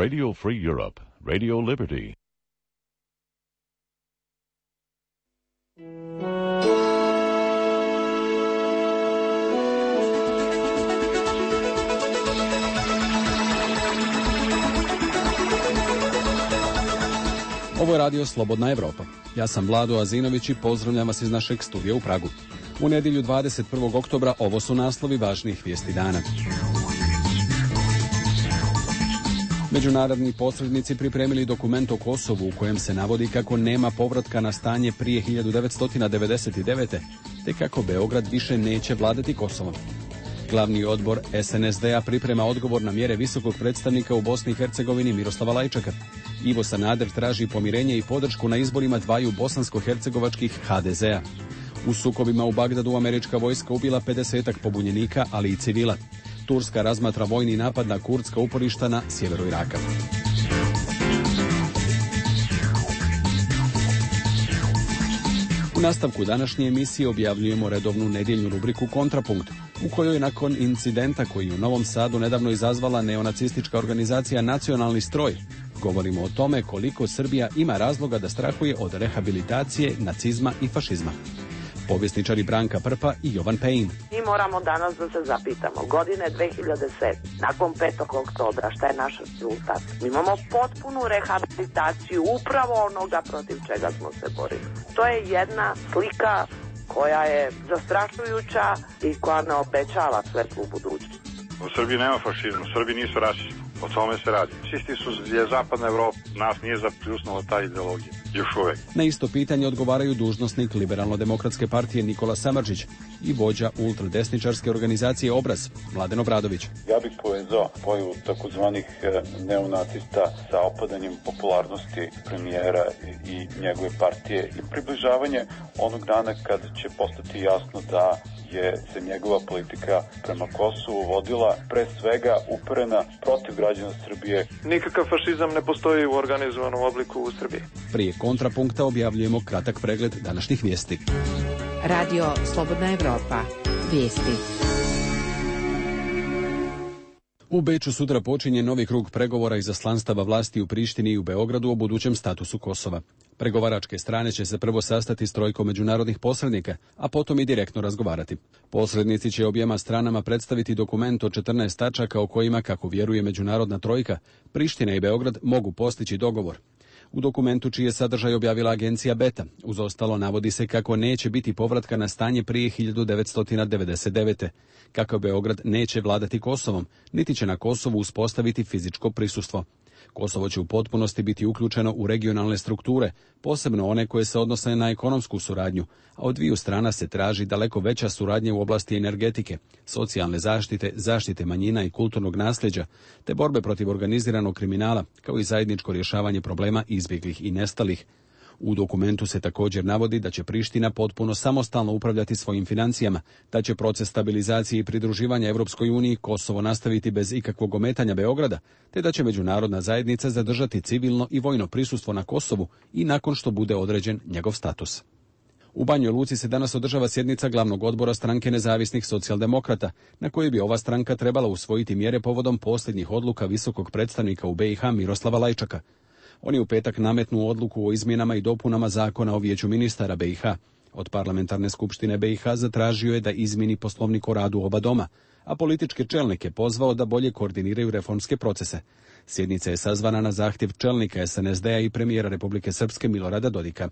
Radio Free Europe, Radio Liberty. Ovo je radio Slobodna Evropa. Ja sam Vlado Azinović i pozdravljam vas iz našeg studija u Pragu. U nedjelju 21. oktobra ovo su naslovi važnijih vijesti dana. Međunarodni posrednici pripremili dokument o Kosovu u kojem se navodi kako nema povratka na stanje prije 1999. te kako Beograd više neće vladati Kosovom. Glavni odbor SNSD-a priprema odgovor na mjere visokog predstavnika u Bosni i Hercegovini Miroslava Lajčaka. Ivo Sanader traži pomirenje i podršku na izborima dvaju bosansko-hercegovačkih HDZ-a. U sukobima u Bagdadu američka vojska ubila 50-ak pobunjenika, ali i civila. Turska razmatra vojni napad na kurdska uporišta na sjeveru Iraka. U nastavku današnje emisije objavljujemo redovnu nedjeljnu rubriku Kontrapunkt, u kojoj nakon incidenta koji je u Novom Sadu nedavno izazvala neonacistička organizacija Nacionalni stroj, govorimo o tome koliko Srbija ima razloga da strahuje od rehabilitacije nacizma i fašizma. Povjesničari Branka Prpa i Jovan Pejin. Mi moramo danas da se zapitamo. Godine 2007. Nakon 5. oktobra, šta je naš rezultat? Mi imamo potpunu rehabilitaciju upravo onoga protiv čega smo se borili. To je jedna slika koja je zastrašujuća i koja ne obećava svetlu budućnost. U Srbiji nema fašizma, u Srbiji nisu rasisti. O tome se radi. Čisti su je zapadna Evropa, nas nije zapljusnula ta ideologija. Još uvek. Na isto pitanje odgovaraju dužnosnik Liberalno-demokratske partije Nikola Samardžić i vođa ultradesničarske organizacije Obraz, Mladen Obradović. Ja bih povezao pojavu takozvanih neonacista sa opadanjem popularnosti premijera i njegove partije i približavanje onog dana kad će postati jasno da se njegova politika prema Kosovu vodila pre svega uperena protiv građana Srbije. Nikakav fašizam ne postoji u organizovanom obliku u Srbiji. Prije kontrapunkta objavljujemo kratak pregled današnjih vijesti. Radio Slobodna Evropa. Vijesti. U Beču sutra počinje novi krug pregovora izaslanstava vlasti u Prištini i u Beogradu o budućem statusu Kosova. Pregovaračke strane će se prvo sastati s trojkom međunarodnih posrednika, a potom i direktno razgovarati. Posrednici će objema stranama predstaviti dokument od 14 tačaka o kojima, kako vjeruje međunarodna trojka, Priština i Beograd mogu postići dogovor. U dokumentu čiji je sadržaj objavila agencija Beta, uz ostalo navodi se kako neće biti povratka na stanje prije 1999. Kako Beograd neće vladati Kosovom, niti će na Kosovu uspostaviti fizičko prisustvo. Kosovo će u potpunosti biti uključeno u regionalne strukture, posebno one koje se odnose na ekonomsku suradnju, a od dviju strana se traži daleko veća suradnja u oblasti energetike, socijalne zaštite, zaštite manjina i kulturnog nasljeđa, te borbe protiv organiziranog kriminala, kao i zajedničko rješavanje problema izbjeglih i nestalih. U dokumentu se također navodi da će Priština potpuno samostalno upravljati svojim financijama, da će proces stabilizacije i pridruživanja Europskoj uniji Kosovo nastaviti bez ikakvog ometanja Beograda, te da će međunarodna zajednica zadržati civilno i vojno prisustvo na Kosovu i nakon što bude određen njegov status. U Banjoj Luci se danas održava sjednica glavnog odbora stranke nezavisnih socijaldemokrata, na kojoj bi ova stranka trebala usvojiti mjere povodom posljednjih odluka visokog predstavnika u BiH Miroslava Lajčaka. On je u petak nametnuo odluku o izmjenama i dopunama zakona o vijeću ministara BiH. Od parlamentarne skupštine BiH zatražio je da izmjeni poslovnik o radu oba doma, a političke čelnike pozvao da bolje koordiniraju reformske procese. Sjednica je sazvana na zahtjev čelnika SNSD-a i premijera Republike Srpske Milorada Dodika.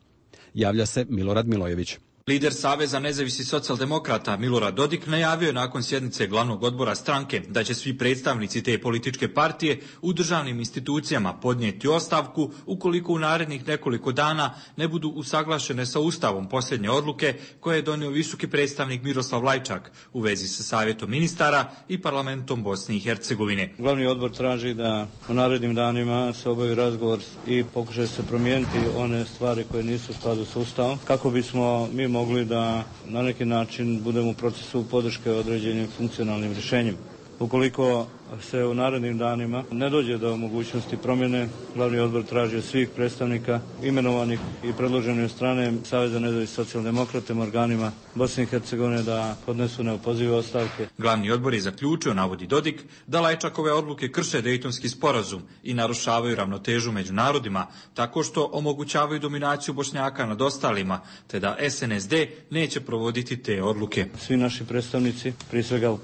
Javlja se Milorad Milojević. Lider Saveza nezavisnih socijaldemokrata Milorad Dodik najavio je nakon sjednice glavnog odbora stranke da će svi predstavnici te političke partije u državnim institucijama podnijeti ostavku ukoliko u narednih nekoliko dana ne budu usaglašene sa Ustavom posljednje odluke koje je donio visoki predstavnik Miroslav Lajčak u vezi sa Savjetom ministara i parlamentom Bosne i Hercegovine. Glavni odbor traži da u narednim danima se obavi razgovor i pokušaju se promijeniti one stvari koje nisu u skladu s Ustavom, kako bismo mi mogli da na neki način budemo u procesu podrške određenim funkcionalnim rješenjima. Ukoliko se u narednim danima ne dođe do mogućnosti promjene. Glavni odbor traži od svih predstavnika imenovanih i predloženih od strane Saveza nezavisnih socijaldemokrata organima Bosne i Hercegovine da podnesu neopozive ostavke. Glavni odbor je zaključio, navodi Dodik, da Lajčakove odluke krše Dejtonski sporazum i narušavaju ravnotežu među narodima tako što omogućavaju dominaciju Bošnjaka nad ostalima, te da SNSD neće provoditi te odluke. Svi naši predstavnici, prije svega u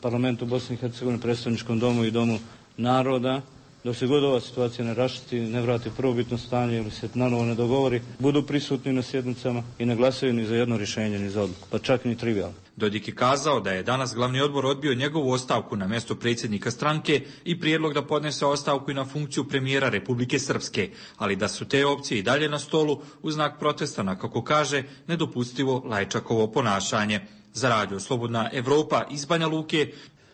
parlamentu Bosne i Hercegovine, predstavničkom domu i domu naroda, dok se god ova situacija ne raščisti, ne vrati prvobitno stanje ili se nanovo ne dogovori, budu prisutni na sjednicama i ne glasaju ni za jedno rješenje, ni za odluku, pa čak ni trivijalno. Dodik je kazao da je danas glavni odbor odbio njegovu ostavku na mjesto predsjednika stranke i prijedlog da podnese ostavku i na funkciju premijera Republike Srpske, ali da su te opcije i dalje na stolu u znak protesta na, kako kaže, nedopustivo Lajčakovo ponašanje. Za Radio Slobodna Evropa iz Banja Luke.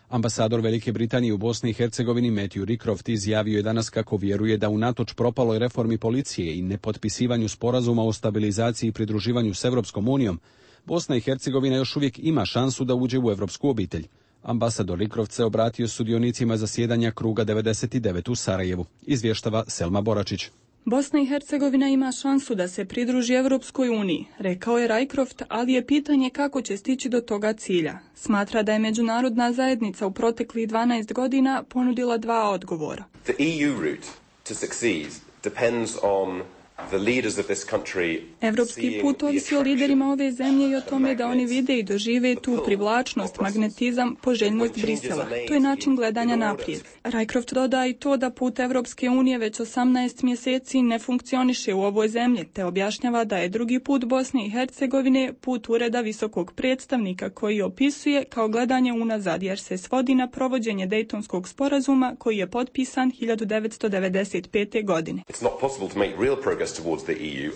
Ambasador Velike Britanije u Bosni i Hercegovini Matthew Rycroft izjavio je danas kako vjeruje da unatoč propaloj reformi policije i nepotpisivanju sporazuma o stabilizaciji i pridruživanju s Europskom unijom, Bosna i Hercegovina još uvijek ima šansu da uđe u europsku obitelj. Ambasador Rycroft se obratio sudionicima zasjedanja kruga 99 u Sarajevu, izvještava Selma Boračić. Bosna i Hercegovina ima šansu da se pridruži Europskoj uniji, rekao je Rycroft, ali je pitanje kako će stići do toga cilja. Smatra da je međunarodna zajednica u proteklih 12 godina ponudila dva odgovora. The EU route to succeed depends on the leaders of this country. Evropski put ovisi o liderima ove zemlje i o tome da oni vide i dožive tu privlačnost, magnetizam, poželjnost Brisela. To je način gledanja naprijed. Rycroft doda i to da put Evropske unije već 18 mjeseci ne funkcioniše u ovoj zemlji, te objašnjava da je drugi put Bosne i Hercegovine put ureda visokog predstavnika koji opisuje kao gledanje unazad jer se svodi na provođenje Dejtonskog sporazuma koji je potpisan 1995. godine.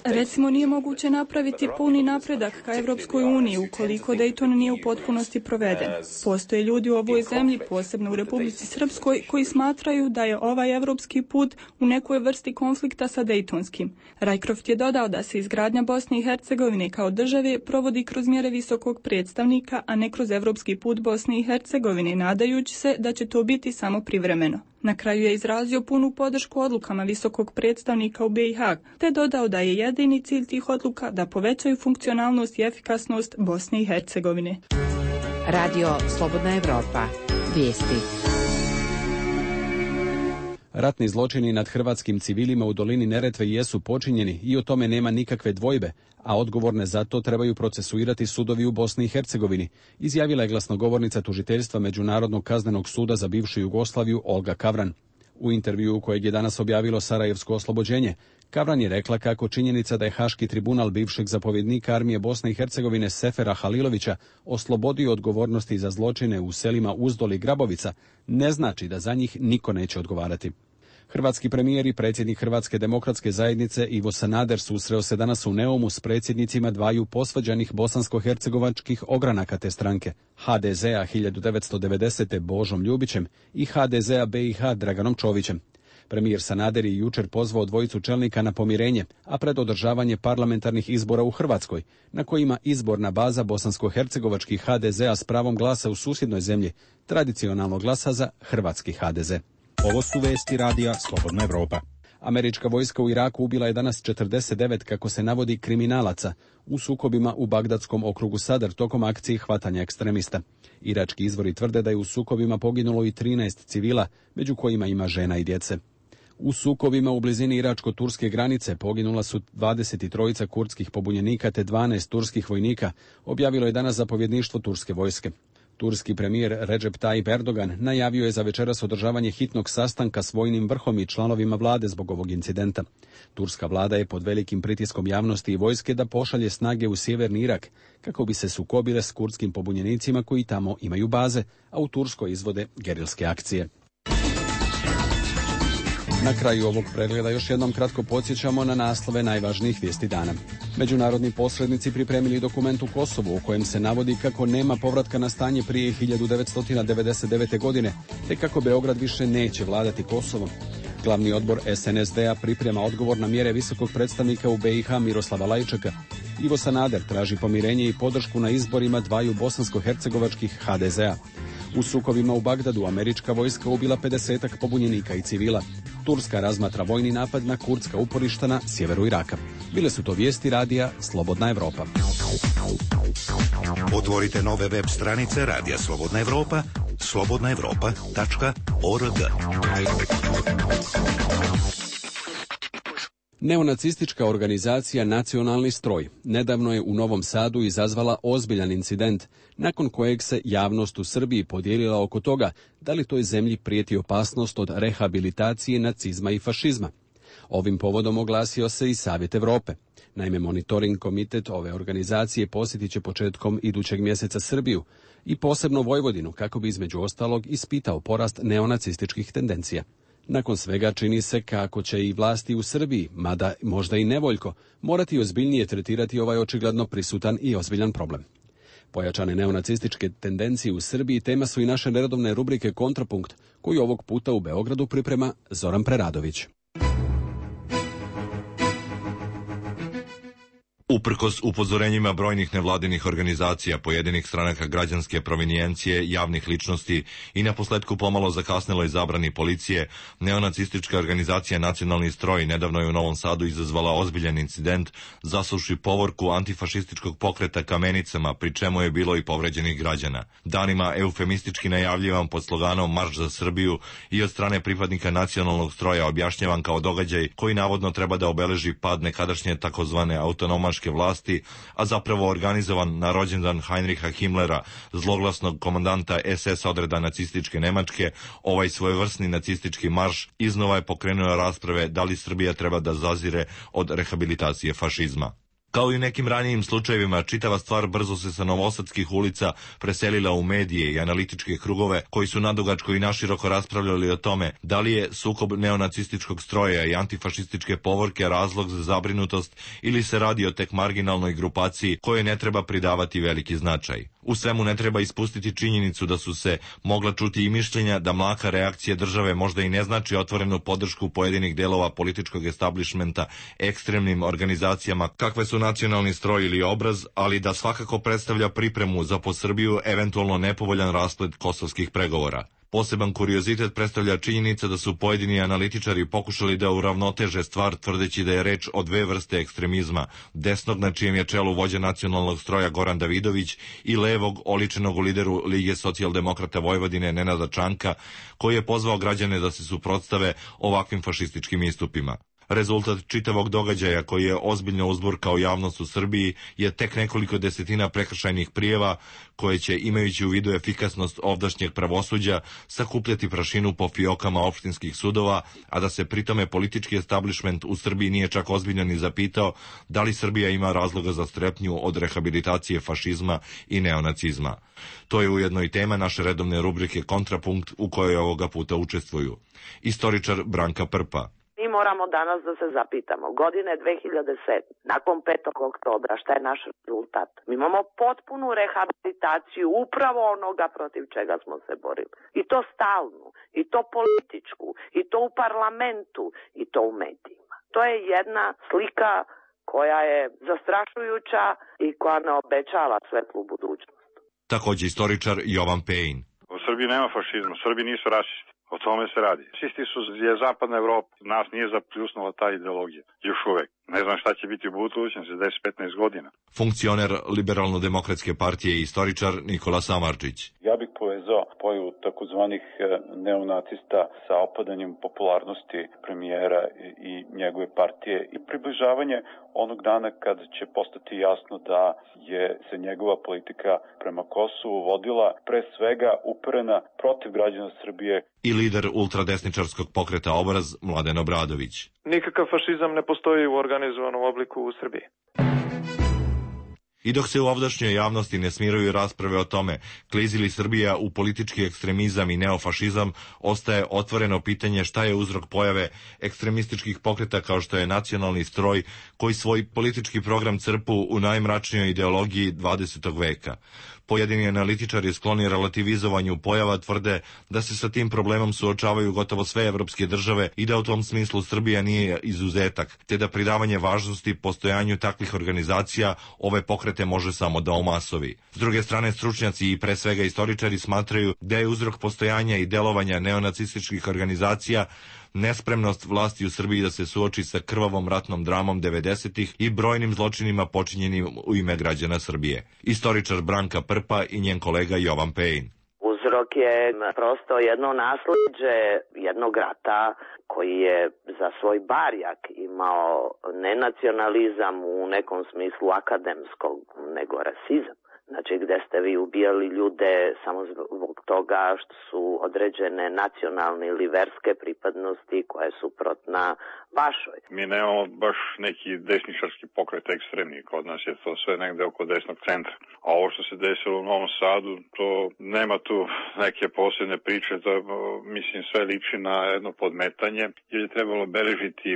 Recimo, nije moguće napraviti puni napredak ka Evropskoj uniji ukoliko Dejton nije u potpunosti proveden. Postoje ljudi u ovoj zemlji, posebno u Republici Srpskoj, koji smatraju da je ovaj evropski put u nekoj vrsti konflikta sa Dejtonskim. Rycroft je dodao da se izgradnja Bosne i Hercegovine kao države provodi kroz mjere visokog predstavnika, a ne kroz evropski put Bosne i Hercegovine, nadajući se da će to biti samo privremeno. Na kraju je izrazio punu podršku odlukama visokog predstavnika u BiH, te dodao da je jedini cilj tih odluka da povećaju funkcionalnost i efikasnost Bosne i Hercegovine. Radio Slobodna Evropa. Vijesti. Ratni zločini nad hrvatskim civilima u dolini Neretve jesu počinjeni i o tome nema nikakve dvojbe, a odgovorne za to trebaju procesuirati sudovi u Bosni i Hercegovini, izjavila je glasnogovornica tužiteljstva Međunarodnog kaznenog suda za bivšu Jugoslaviju Olga Kavran. U intervjuu kojeg je danas objavilo Sarajevsko oslobođenje, Kavran je rekla kako činjenica da je Haški tribunal bivšeg zapovjednika armije Bosne i Hercegovine Sefera Halilovića oslobodio odgovornosti za zločine u selima Uzdol i Grabovica ne znači da za njih niko neće odgovarati. Hrvatski premijer i predsjednik Hrvatske demokratske zajednice Ivo Sanader susreo se danas u Neumu s predsjednicima dvaju posvađanih bosansko-hercegovačkih ogranaka te stranke, HDZ-a 1990. Božom Ljubićem i HDZ-a BiH Draganom Čovićem. Premijer Sanader je jučer pozvao dvojicu čelnika na pomirenje, a pred održavanje parlamentarnih izbora u Hrvatskoj, na kojima izborna baza bosansko-hercegovačkih HDZ-a s pravom glasa u susjednoj zemlji tradicionalno glasa za hrvatski HDZ. Ovo su vesti radija Slobodna Evropa. Američka vojska u Iraku ubila je danas 49, kako se navodi, kriminalaca u sukobima u Bagdadskom okrugu Sadr tokom akcije hvatanja ekstremista. Irački izvori tvrde da je u sukobima poginulo i 13 civila, među kojima ima žena i djece. U sukobima u blizini iračko-turske granice poginula su 23 kurdskih pobunjenika te 12 turskih vojnika, objavilo je danas zapovjedništvo turske vojske. Turski premijer Recep Tayyip Erdogan najavio je za večeras održavanje hitnog sastanka s vojnim vrhom i članovima vlade zbog ovog incidenta. Turska vlada je pod velikim pritiskom javnosti i vojske da pošalje snage u sjeverni Irak kako bi se sukobile s kurdskim pobunjenicima koji tamo imaju baze, a u Turskoj izvode gerilske akcije. Na kraju ovog pregleda još jednom kratko podsjećamo na naslove najvažnijih vijesti dana. Međunarodni posrednici pripremili dokument u Kosovu u kojem se navodi kako nema povratka na stanje prije 1999. godine, te kako Beograd više neće vladati Kosovom. Glavni odbor SNSD-a priprema odgovor na mjere visokog predstavnika u BiH Miroslava Lajčaka. Ivo Sanader traži pomirenje i podršku na izborima dvaju bosansko-hercegovačkih HDZ-a. U sukobima u Bagdadu američka vojska ubila 50-ak pobunjenika i civila. Turska razmatra vojni napad na kurdska uporišta na sjeveru Iraka. Bile su to vijesti radija Slobodna Evropa. Otvorite nove web stranice Radija Slobodna Evropa, slobodnaevropa.org. Neonacistička organizacija Nacionalni stroj nedavno je u Novom Sadu izazvala ozbiljan incident, nakon kojeg se javnost u Srbiji podijelila oko toga da li toj zemlji prijeti opasnost od rehabilitacije nacizma i fašizma. Ovim povodom oglasio se i Savjet Evrope. Naime, monitoring komitet ove organizacije posjetit će početkom idućeg mjeseca Srbiju i posebno Vojvodinu kako bi između ostalog ispitao porast neonacističkih tendencija. Nakon svega čini se kako će i vlasti u Srbiji, mada možda i nevoljko, morati ozbiljnije tretirati ovaj očigledno prisutan i ozbiljan problem. Pojačane neonacističke tendencije u Srbiji tema su i naše neredovne rubrike Kontrapunkt, koju ovog puta u Beogradu priprema Zoran Preradović. Uprkos upozorenjima brojnih nevladinih organizacija, pojedinih stranaka građanske provenijencije, javnih ličnosti i naposletku pomalo zakasneloj zabrani policije, neonacistička organizacija Nacionalni stroj nedavno je u Novom Sadu izazvala ozbiljan incident zasuvši povorku antifašističkog pokreta kamenicama, pri čemu je bilo i povređenih građana. Danima eufemistički najavljivan pod sloganom Marš za Srbiju i od strane pripadnika Nacionalnog stroja objašnjavan kao događaj koji navodno treba da obeleži pad nekadašnje takozvane autonomaške vlasti, a zapravo organizovan na rođendan Heinricha Himmlera, zloglasnog komandanta SS odreda nacističke Nemačke. Ovaj svojevrsni nacistički marš iznova je pokrenuo rasprave da li Srbija treba da zazire od rehabilitacije fašizma. Kao i u nekim ranijim slučajevima, čitava stvar brzo se sa novosadskih ulica preselila u medije i analitičke krugove koji su nadugačko i naširoko raspravljali o tome da li je sukob neonacističkog stroja i antifašističke povorke razlog za zabrinutost ili se radi o tek marginalnoj grupaciji kojoj ne treba pridavati veliki značaj. U svemu ne treba ispustiti činjenicu da su se mogla čuti i mišljenja da mlaka reakcija države možda i ne znači otvorenu podršku pojedinih delova političkog establishmenta ekstremnim organizacijama kakve su Nacionalni stroj ili Obraz, ali da svakako predstavlja pripremu za po Srbiju eventualno nepovoljan rasplet kosovskih pregovora. Poseban kuriozitet predstavlja činjenica da su pojedini analitičari pokušali da uravnoteže stvar tvrdeći da je reč o dve vrste ekstremizma, desnog na čijem je čelu vođa Nacionalnog stroja Goran Davidović i levog oličenog u lideru Lige socijaldemokrata Vojvodine Nenada Čanka, koji je pozvao građane da se suprotstave ovakvim fašističkim istupima. Rezultat čitavog događaja koji je ozbiljno uzburkao javnost u Srbiji je tek nekoliko desetina prekršajnih prijava koje će, imajući u vidu efikasnost ovdašnjeg pravosuđa, sakupljati prašinu po fiokama opštinskih sudova, a da se pritome politički establishment u Srbiji nije čak ozbiljno ni zapitao da li Srbija ima razloga za strepnju od rehabilitacije fašizma i neonacizma. To je ujedno i tema naše redovne rubrike Kontrapunkt u kojoj ovoga puta učestvuju istoričar Branka Prpa. Mi moramo danas da se zapitamo, godine 2007, nakon 5. oktobra, šta je naš rezultat? Mi imamo potpunu rehabilitaciju upravo onoga protiv čega smo se borili. I to stalnu, i to političku, i to u parlamentu, i to u medijima. To je jedna slika koja je zastrašujuća i koja ne obećava svetlu budućnost. Također istoričar Jovan Pejin. U Srbiji nema fašizma, Srbi nisu rasisti. O tome se radi. Fašisti su je zapadna Evropa. Nas nije zapljusnula ta ideologija. Još uvek. Ne znam šta će biti u budućnosti za 10-15 godina. Funkcioner Liberalno-demokratske partije i istoričar Nikola Samardžić. Ja bih povezao pojavu takozvanih neonacista sa opadanjem popularnosti premijera i njegove partije i približavanje onog dana kad će postati jasno da je se njegova politika prema Kosovu vodila pre svega uperena protiv građana Srbije. I lider ultradesničarskog pokreta Obraz Mladen Obradović. Nikakav fašizam ne postoji u organizovanom obliku u Srbiji. I dok se u ovdašnjoj javnosti ne smiruju rasprave o tome klizi li Srbija u politički ekstremizam i neofašizam, ostaje otvoreno pitanje šta je uzrok pojave ekstremističkih pokreta kao što je Nacionalni stroj, koji svoj politički program crpu u najmračnijoj ideologiji 20. veka. Pojedini analitičari skloni relativizovanju pojava tvrde da se sa tim problemom suočavaju gotovo sve evropske države i da u tom smislu Srbija nije izuzetak, te da pridavanje važnosti postojanju takvih organizacija ove pokrete može samo da omasovi. S druge strane, stručnjaci i pre svega istoričari smatraju da je uzrok postojanja i delovanja neonacističkih organizacija nespremnost vlasti u Srbiji da se suoči sa krvavom ratnom dramom 90-ih i brojnim zločinima počinjenim u ime građana Srbije. Istoričar Branka Prpa i njen kolega Jovan Pejin. Uzrok je prosto jedno nasleđe jednog rata koji je za svoj barjak imao ne nacionalizam u nekom smislu akademskog, nego rasizam. Znači gde ste vi ubijali ljude samo zbog toga što su određene nacionalne ili verske pripadnosti koje su suprotna vašoj. Mi nemamo baš neki desničarski pokret ekstremni, kod nas je to sve negde oko desnog centra. A ovo što se desilo u Novom Sadu, to nema tu neke posebne priče, to mislim sve liči na jedno podmetanje, jer je trebalo beležiti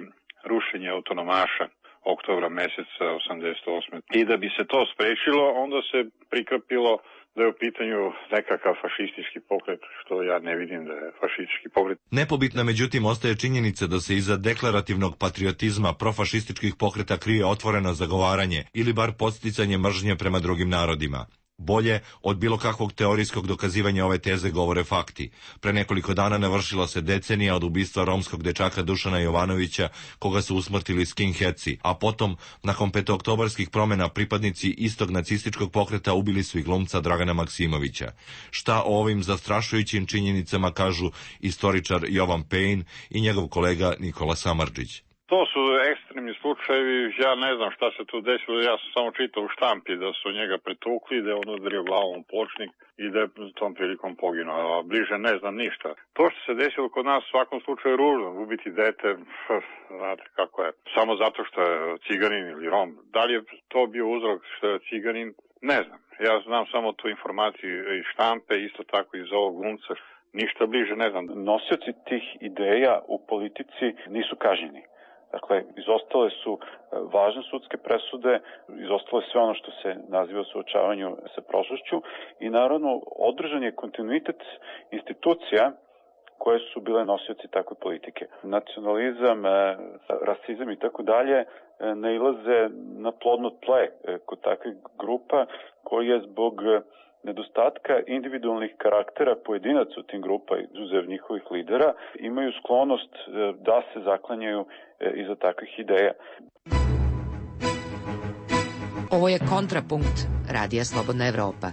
rušenje autonomaša oktobra meseca 88. I da bi se to sprečilo, onda se prikrpilo da je u pitanju nekakav fašistički pokret, što ja ne vidim da je fašistički pokret. Nepobitna međutim ostaje činjenica da se iza deklarativnog patriotizma profašističkih pokreta krije otvoreno zagovaranje ili bar podsticanje mržnje prema drugim narodima. Bolje od bilo kakvog teorijskog dokazivanja ove teze govore fakti. Pre nekoliko dana navršila se decenija od ubistva romskog dečaka Dušana Jovanovića, koga su usmrtili skinheadsi, a potom, nakon petooktobarskih promena, pripadnici istog nacističkog pokreta ubili su i glumca Dragana Maksimovića. Šta o ovim zastrašujućim činjenicama kažu istoričar Jovan Pejin i njegov kolega Nikola Samardžić? To su ekstremni slučajevi, ja ne znam šta se tu desilo, ja sam samo čitao u štampi da su njega pretukli, da je on udario glavom u pločnik i da je tom prilikom poginuo, a bliže ne znam ništa. To što se desilo kod nas u svakom slučaju ružno, ubiti dete, znate kako je, samo zato što je ciganin ili rom. Da li je to bio uzrok što je ciganin, ne znam. Ja znam samo tu informaciju iz štampe, isto tako iz ovog glumca, ništa bliže ne znam. Nosioci tih ideja u politici nisu kažnjeni. Dakle, izostale su važne sudske presude, izostalo je sve ono što se naziva suočavanju sa prošlošću i naravno održan je kontinuitet institucija koje su bile nosioci takve politike. Nacionalizam, rasizam i tako dalje nailaze na plodno tle kod takvih grupa koji je zbog nedostatka individualnih karaktera pojedinaca u tim grupa, izuzev njihovih lidera, imaju sklonost da se zaklanjaju iza takvih ideja. Ovo je Kontrapunkt, Radija Slobodna Evropa.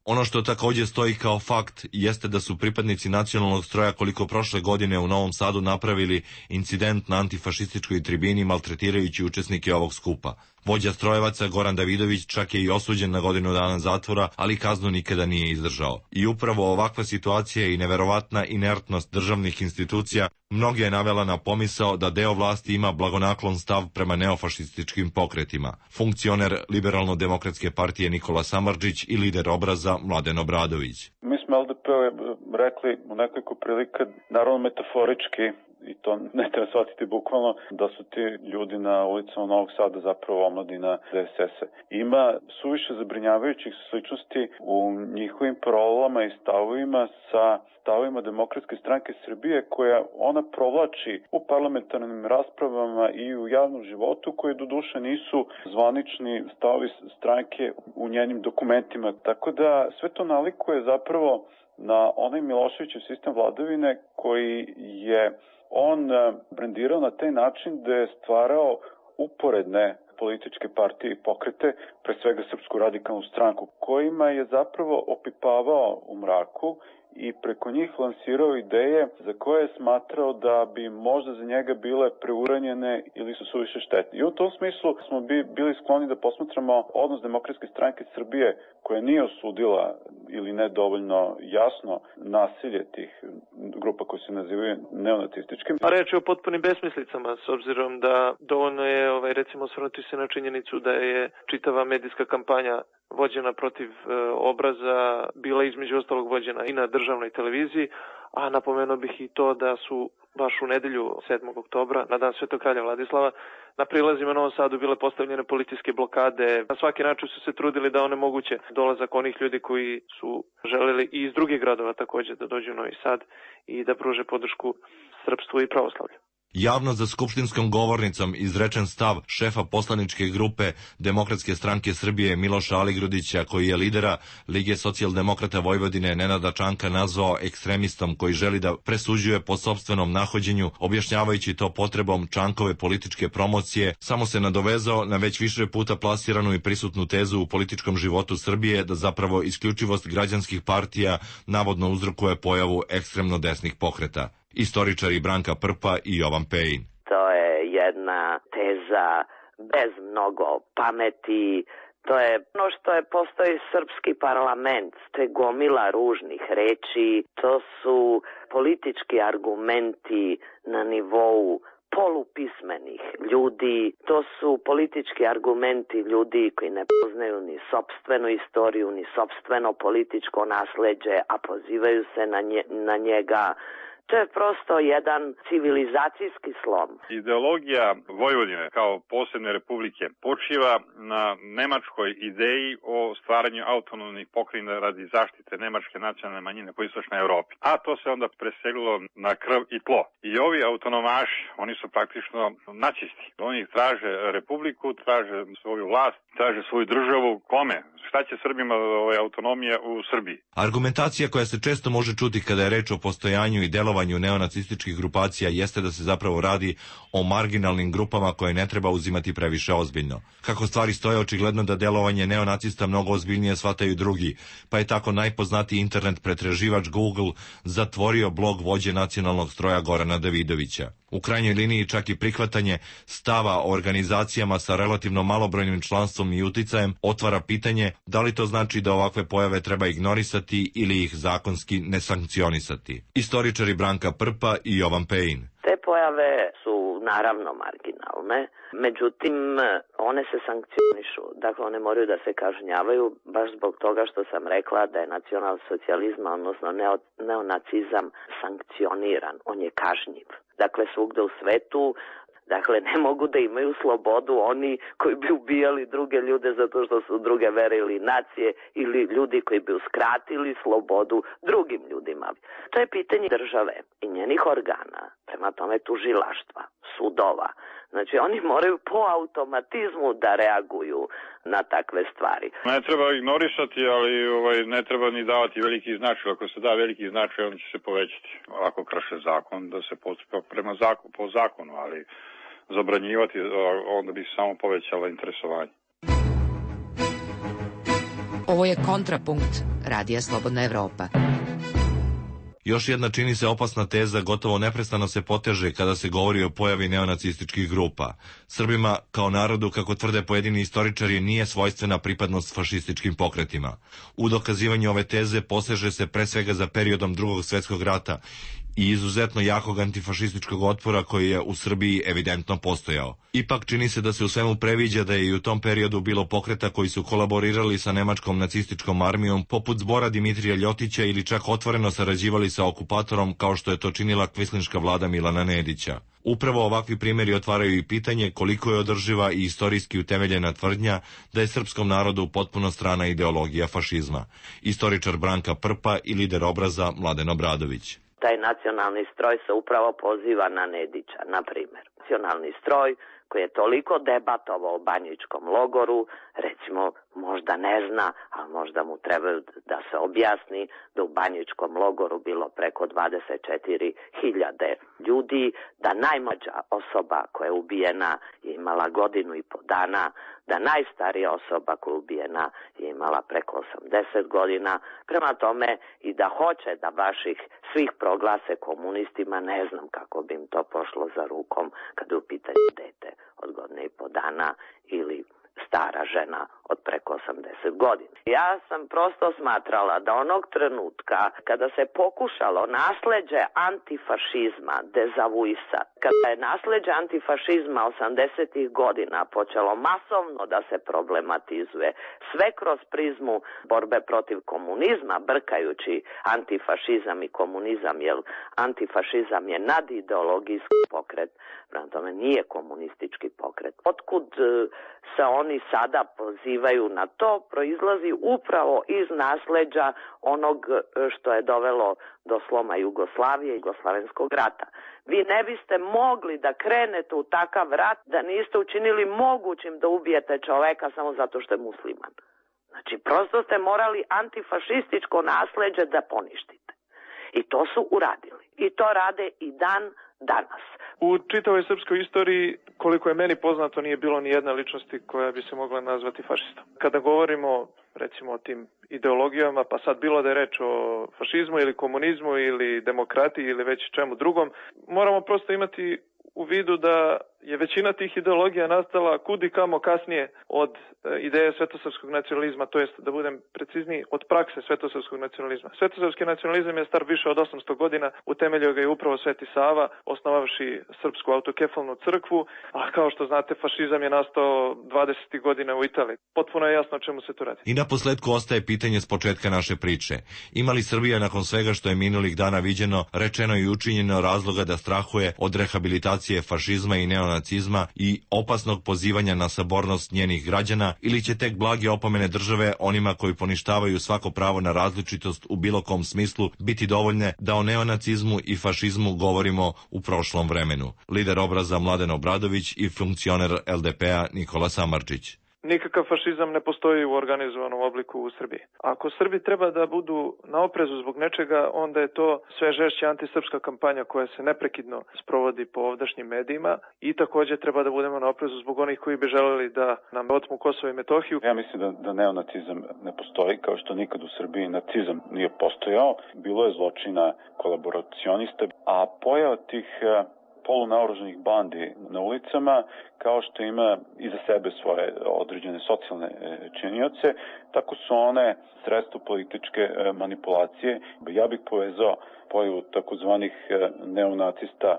Ono što također stoji kao fakt jeste da su pripadnici nacionalnog stroja koliko prošle godine u Novom Sadu napravili incident na antifašističkoj tribini maltretirajući učesnike ovog skupa. Vođa strojevaca Goran Davidović čak je i osuđen na godinu dana zatvora, ali kaznu nikada nije izdržao. I upravo ovakva situacija i neverovatna inertnost državnih institucija mnoge je navela na pomisao da deo vlasti ima blagonaklon stav prema neofašističkim pokretima. Funkcioner Liberalno-demokratske partije Nikola Samardžić i lider Obraza Mladen Obradović. Mi smo LDP rekli u nekoliko prilika, naravno metaforički, i to ne treba shvatiti bukvalno, da su ti ljudi na ulicama Novog Sada zapravo omladina DSS-a. Ima suviše zabrinjavajućih sličnosti u njihovim parolama i stavovima sa stavovima Demokratske stranke Srbije, koja ona provlači u parlamentarnim raspravama i u javnom životu, koji doduše nisu zvanični stavovi stranke u njenim dokumentima. Tako da sve to nalikuje zapravo na onaj Miloševićev sistem vladavine koji je on brendirao na taj način da je stvarao uporedne političke partije i pokrete, pre svega Srpsku radikalnu stranku, kojima je zapravo opipavao u mraku i preko njih lansirao ideje za koje je smatrao da bi možda za njega bile preuranjene ili su suviše štetne. I u tom smislu smo bili skloni da posmatramo odnos Demokratske stranke Srbije, koja nije osudila ili ne dovoljno jasno nasilje tih grupa koje se nazivaju neonacističkim. A reč je o potpunim besmislicama, s obzirom da dovoljno je recimo osvrnuti se na činjenicu da je čitava medijska kampanja vođena protiv Obraza bila između ostalog vođena i na državnoj televiziji, a napomenuo bih i to da su baš u nedelju 7. oktobra, na dan Svetog kralja Vladislava, na prilazima u Novom Sadu bile postavljene policijske blokade. Na svaki način su se trudili da onemoguće dolazak onih ljudi koji su želeli i iz drugih gradova također da dođu u Novi Sad i da pruže podršku srpstvu i pravoslavlju. Javno za skupštinskom govornicom izrečen stav šefa poslaničke grupe Demokratske stranke Srbije Miloša Aligrudića, koji je lidera Lige socijaldemokrata Vojvodine Nenada Čanka nazvao ekstremistom koji želi da presuđuje po sopstvenom nahođenju, objašnjavajući to potrebom Čankove političke promocije, samo se nadovezao na već više puta plasiranu i prisutnu tezu u političkom životu Srbije da zapravo isključivost građanskih partija navodno uzrokuje pojavu ekstremno desnih pokreta. Istoričari Branka Prpa i Jovan Pejin. To je jedna teza bez mnogo pameti. To je ono što je postoji srpski parlament. To je gomila ružnih reči. To su politički argumenti na nivou polupismenih ljudi. To su politički argumenti ljudi koji ne poznaju ni sopstvenu istoriju, ni sopstveno političko nasleđe, a pozivaju se na njega. To je prosto jedan civilizacijski slom. Ideologija Vojvodine kao posebne republike počiva na nemačkoj ideji o stvaranju autonomnih pokrajina radi zaštite nemačke nacionalne manjine po istočnoj Evropi. A to se onda preselilo na krv i tlo. I ovi autonomaši, oni su praktično nacisti. Oni traže republiku, traže svoju vlast, traže svoju državu. Kome? Šta će Srbima autonomija u Srbiji? Argumentacija koja se često može čuti kada je reč o postojanju i delovanju neonacističkih grupacija jeste da se zapravo radi o marginalnim grupama koje ne treba uzimati previše ozbiljno. Kako stvari stoje, očigledno da delovanje neonacista mnogo ozbiljnije shvataju drugi, pa je tako najpoznatiji internet pretraživač Google zatvorio blog vođe nacionalnog stroja Gorana Davidovića. U krajnjoj liniji čak i prihvatanje stava o organizacijama sa relativno malobrojnim članstvom i uticajem otvara pitanje da li to znači da ovakve pojave treba ignorisati ili ih zakonski ne sankcionisati. Istoričari Branka Prpa i Jovan Pejin. Te pojave su naravno marginalne, međutim one se sankcionišu, dakle one moraju da se kažnjavaju baš zbog toga što sam rekla da je nacionalsocijalizam, odnosno neonacizam sankcioniran, on je kažnjiv. Dakle svugde u svetu, dakle ne mogu da imaju slobodu oni koji bi ubijali druge ljude zato što su druge vere ili nacije ili ljudi koji bi uskratili slobodu drugim ljudima. To je pitanje države i njenih organa, prema tome tužilaštva, sudova. Znači oni moraju po automatizmu da reaguju na takve stvari. Ne treba ignorisati, ali ne treba ni davati veliki značaj. Ako se da veliki značaj, on će se povećati. Ako krše zakon, da se postupa po zakonu, ali zabranjivati, onda bi se samo povećalo interesovanje. Ovo je Kontrapunkt, Radija Slobodna Evropa. Još jedna čini se opasna teza gotovo neprestano se poteže kada se govori o pojavi neonacističkih grupa. Srbima, kao narodu, kako tvrde pojedini istoričari, nije svojstvena pripadnost fašističkim pokretima. U dokazivanju ove teze poseže se pre svega za periodom Drugog svjetskog rata i izuzetno jakog antifašističkog otpora koji je u Srbiji evidentno postojao. Ipak čini se da se u svemu previđa da je i u tom periodu bilo pokreta koji su kolaborirali sa nemačkom nacističkom armijom poput Zbora Dimitrija Ljotića ili čak otvoreno sarađivali sa okupatorom kao što je to činila kvislinška vlada Milana Nedića. Upravo ovakvi primjeri otvaraju i pitanje koliko je održiva i istorijski utemeljena tvrdnja da je srpskom narodu potpuno strana ideologija fašizma. Istoričar Branka Prpa i lider Obraza Mladen Obradović. Taj nacionalni stroj se upravo poziva na Nedića, na primjer. Nacionalni stroj koji je toliko debatovao o banjičkom logoru, recimo možda ne zna, ali možda mu trebaju da se objasni da u banjičkom logoru bilo preko 24.000 ljudi, da najmlađa osoba koja je ubijena je imala 1.5 godinu, da najstarija osoba koja je ubijena je imala preko 80 godina, prema tome i da hoće da baš ih svih proglase komunistima, ne znam kako bi im to pošlo za rukom kada je u pitanju dete od 1.5 godina ili stara žena od preko 30 godina. Ja sam prosto smatrala da onog trenutka kada se pokušalo nasleđe antifašizma dezavuisati, kada je nasleđe antifašizma 80. godina počelo masovno da se problematizuje, sve kroz prizmu borbe protiv komunizma, brkajući antifašizam i komunizam, jer antifašizam je nadideologijski pokret, prema tome nije komunistički pokret. Otkud se oni sada pozivaju na to, proizlazi upravo iz nasleđa onog što je dovelo do sloma Jugoslavije i Jugoslavenskog rata. Vi ne biste mogli da krenete u takav rat da niste učinili mogućim da ubijete čoveka samo zato što je musliman. Znači, prosto ste morali antifašističko nasleđe da poništite. I to su uradili. I to rade i dan danas. U čitavoj srpskoj istoriji, koliko je meni poznato, nije bilo ni jedne ličnosti koja bi se mogla nazvati fašistom. Kada govorimo, recimo, o tim ideologijama, pa sad bilo da je reč o fašizmu ili komunizmu ili demokratiji ili već čemu drugom, moramo prosto imati u vidu da je većina tih ideologija nastala kudi kamo kasnije od ideje svetosrpskog nacionalizma, to jest, da budem precizniji, od prakse svetosrpskog nacionalizma. Svetosrpski nacionalizam je star više od 800 godina, utemeljio ga je upravo Sveti Sava, osnovavši Srpsku autokefalnu crkvu, a kao što znate, fašizam je nastao 20. godina u Italiji. Potpuno je jasno o čemu se tu radi. I na posledku ostaje pitanje s početka naše priče. Ima li Srbija nakon svega što je minulih dana viđeno, rečeno i učinjeno razloga da strahuje od rehabilitacije fašizma i neonacizma i opasnog pozivanja na sabornost njenih građana, ili će tek blage opomene države onima koji poništavaju svako pravo na različitost u bilo kom smislu biti dovoljne da o neonacizmu i fašizmu govorimo u prošlom vremenu? Lider Obraza Mladen Obradović i funkcioner LDP-a Nikola Samardžić. Nikakav fašizam ne postoji u organizovanom obliku u Srbiji. Ako Srbi treba da budu na oprezu zbog nečega, onda je to sve žešća antisrpska kampanja koja se neprekidno sprovodi po ovdašnjim medijima i takođe treba da budemo na oprezu zbog onih koji bi želeli da nam otmu Kosovo i Metohiju. Ja mislim da neonacizam ne postoji, kao što nikad u Srbiji nacizam nije postojao. Bilo je zločina kolaboracionista, a pojava tih polunaoružanih bandi na ulicama, kao što ima iza sebe svoje određene socijalne činioce, tako su one sredstvo političke manipulacije. Ja bih povezao pojavu takozvanih neonacista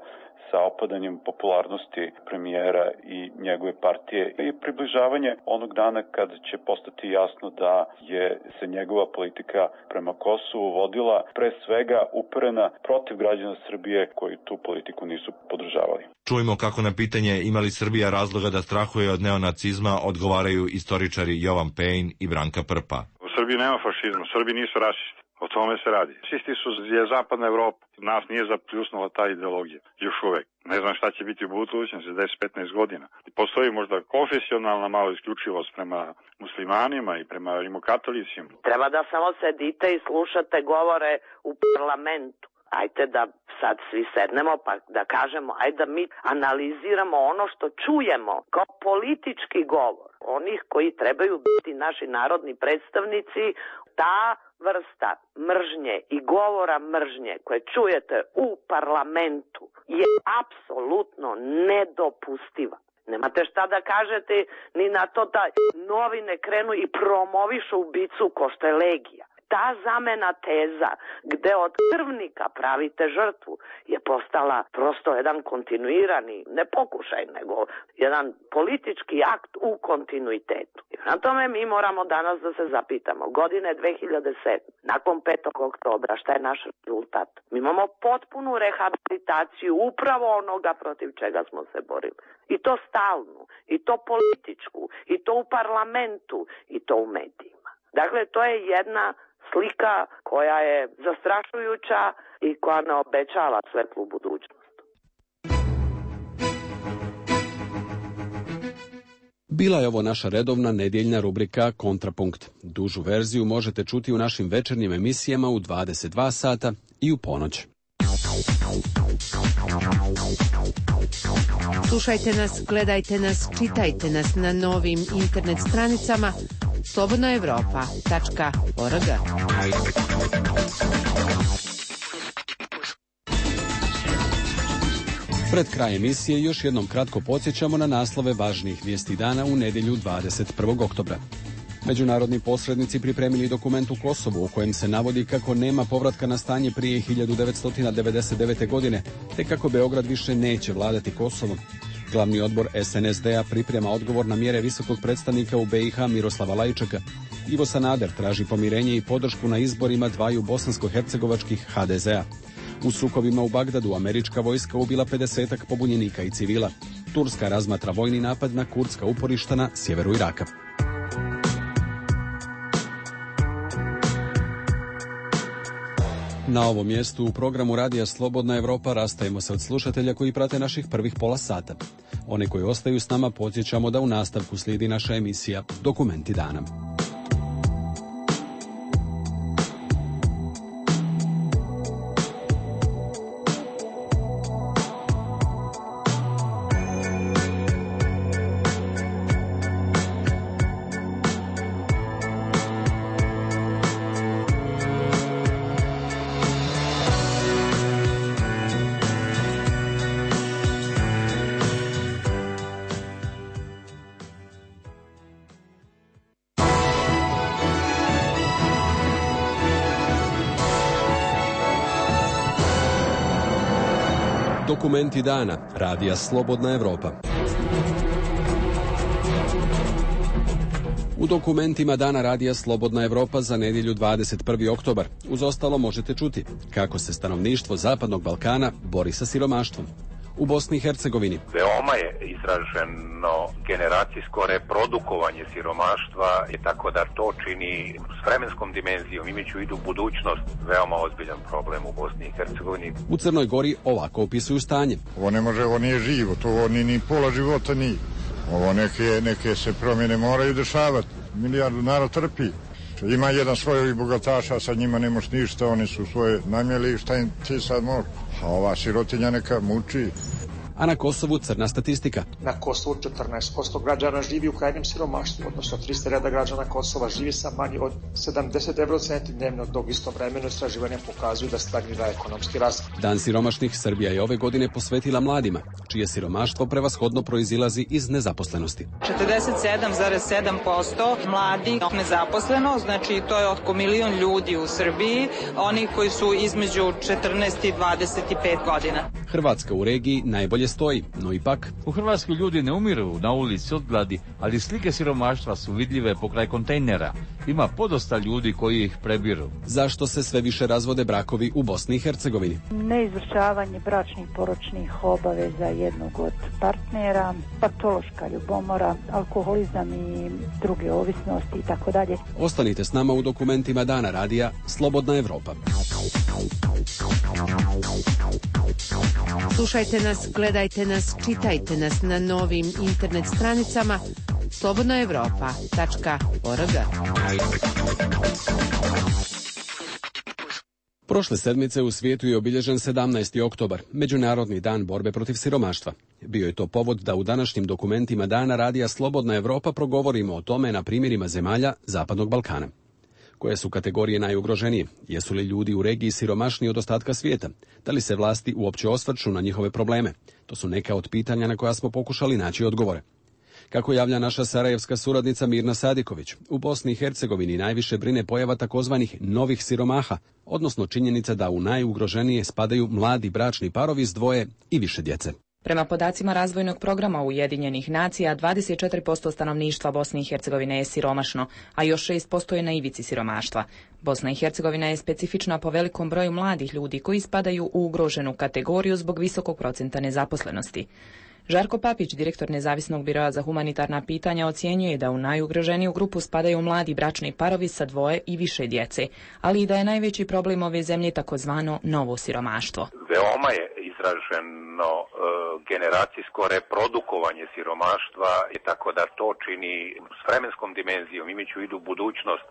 sa opadanjem popularnosti premijera i njegove partije i približavanje onog dana kad će postati jasno da je se njegova politika prema Kosovu vodila pre svega uperena protiv građana Srbije koji tu politiku nisu podržavali. Čujmo kako na pitanje ima li Srbija razloga da strahuje od neonacizma odgovaraju istoričari Jovan Pejn i Branka Prpa. U Srbiji nema fašizma, Srbi nisu rasisti. O tome se radi. Rasisti je zapadna Evropa. Nas nije zapljusnula ta ideologija. Još uvek. Ne znam šta će biti u budućnosti za 10-15 godina. Postoji možda konfesionalna malo isključivost prema muslimanima i prema rimokatolicima. Treba da samo sedite i slušate govore u parlamentu. Ajde da sad svi sednemo pa da kažemo, ajde da mi analiziramo ono što čujemo kao politički govor onih koji trebaju biti naši narodni predstavnici. Ta vrsta mržnje i govora mržnje koje čujete u parlamentu je apsolutno nedopustiva. Nemate šta da kažete ni na to da novine krenu i promovišu ubicu ko što je Legija. Ta zamena teza gde od krvnika pravite žrtvu je postala prosto jedan kontinuirani, ne pokušaj, nego jedan politički akt u kontinuitetu. I na tome mi moramo danas da se zapitamo. Godine 2007, nakon 5. oktobra, šta je naš rezultat? Mi imamo potpunu rehabilitaciju upravo onoga protiv čega smo se borili. I to stalnu, i to političku, i to u parlamentu, i to u medijima. Dakle, to je jedna slika koja je zastrašujuća i koja ne obećava svetlu budućnost. Bila je ovo naša redovna nedjeljna rubrika Kontrapunkt. Dužu verziju možete čuti u našim večernjim emisijama u 22 sata i u ponoć. Slušajte nas, gledajte nas, čitajte nas na novim internet stranicama slobodnaevropa.org. Pred kraj emisije još jednom kratko podsjećamo na naslove važnijih vijesti dana u nedjelju 21. oktobra. Međunarodni posrednici pripremili dokument u Kosovu u kojem se navodi kako nema povratka na stanje prije 1999. godine, te kako Beograd više neće vladati Kosovom. Glavni odbor SNSD-a priprema odgovor na mjere visokog predstavnika u BiH Miroslava Lajčeka. Ivo Sanader traži pomirenje i podršku na izborima dvaju bosansko-hercegovačkih HDZ-a. U sukobima u Bagdadu američka vojska ubila 50-ak pobunjenika i civila. Turska razmatra vojni napad na kurdska uporišta na sjeveru Iraka. Na ovom mjestu u programu Radija Slobodna Evropa rastajemo se od slušatelja koji prate naših prvih pola sata. One koji ostaju s nama podsjećamo da u nastavku slijedi naša emisija Dokumenti dana. Dokumenti dana. Radija Slobodna Evropa. U dokumentima dana Radija Slobodna Evropa za nedjelju 21. oktobar uz ostalo možete čuti kako se stanovništvo Zapadnog Balkana bori sa siromaštvom. U Bosni i Hercegovini veoma je izraženo generacijsko reprodukovanje siromaštva i tako da to čini s vremenskom dimenzijom, imajući u vidu budućnost, veoma ozbiljan problem u Bosni i Hercegovini. U Crnoj Gori ovako opisuju stanje. Ovo nije živo, to ni pola života nije. Ovo neke se promjene moraju dešavati. Milijardu narod trpi. Ima jedan svojih bogataša, sa njima ne moš ništa, oni su svoje namjeli, šta im ti sad može? A ova sirotinja neka muči. A na Kosovu crna statistika. Na Kosovu 14% građana živi u krajnjem siromaštvu, odnosno 300.000 građana Kosova živi sa manje od 70 eurocenti dnevno, dok isto vremeno istraživanja pokazuju da stagnira ekonomski rast. Dan siromašnih Srbija je ove godine posvetila mladima, čije siromaštvo prevashodno proizilazi iz nezaposlenosti. 47,7% mladih nezaposleno, znači to je oko 1 milion ljudi u Srbiji, oni koji su između 14 i 25 godina. Hrvatska u regiji najbolje stoji, no ipak u Hrvatskoj ljudi ne umiru na ulici od gladi, ali slike siromaštva su vidljive pokraj kontejnera. Ima podosta ljudi koji ih prebiru. Zašto se sve više razvode brakovi u Bosni i Hercegovini? Neizvršavanje bračnih poročnih obaveza jednog od partnera, patološka ljubomora, alkoholizam i druge ovisnosti i tako dalje. Ostanite s nama u dokumentima dana Radija Slobodna Evropa. Slušajte nas, gledajte nas, čitajte nas na novim internet stranicama slobodnaevropa.org. Prošle sedmice u svijetu je obilježen 17. oktobar, Međunarodni dan borbe protiv siromaštva. Bio je to povod da u današnjim dokumentima dana Radija Slobodna Evropa progovorimo o tome na primjerima zemalja Zapadnog Balkana. Koje su kategorije najugroženije? Jesu li ljudi u regiji siromašniji od ostatka svijeta? Da li se vlasti uopće osvrću na njihove probleme? To su neka od pitanja na koja smo pokušali naći odgovore. Kako javlja naša sarajevska suradnica Mirna Sadiković, u Bosni i Hercegovini najviše brine pojava takozvanih novih siromaha, odnosno činjenica da u najugroženije spadaju mladi bračni parovi s dvoje i više djece. Prema podacima razvojnog programa Ujedinjenih nacija, 24% stanovništva Bosne i Hercegovine je siromašno, a još 6% je na ivici siromaštva. Bosna i Hercegovina je specifična po velikom broju mladih ljudi koji spadaju u ugroženu kategoriju zbog visokog procenta nezaposlenosti. Žarko Papić, direktor Nezavisnog biroa za humanitarna pitanja, ocjenjuje da u najugroženiju grupu spadaju mladi bračni parovi sa dvoje i više djece, ali i da je najveći problem ove zemlje takozvano novo siromaštvo. Veoma je izraženo generacijsko reprodukovanje siromaštva i tako da to čini s vremenskom dimenzijom, imajući u vidu budućnost,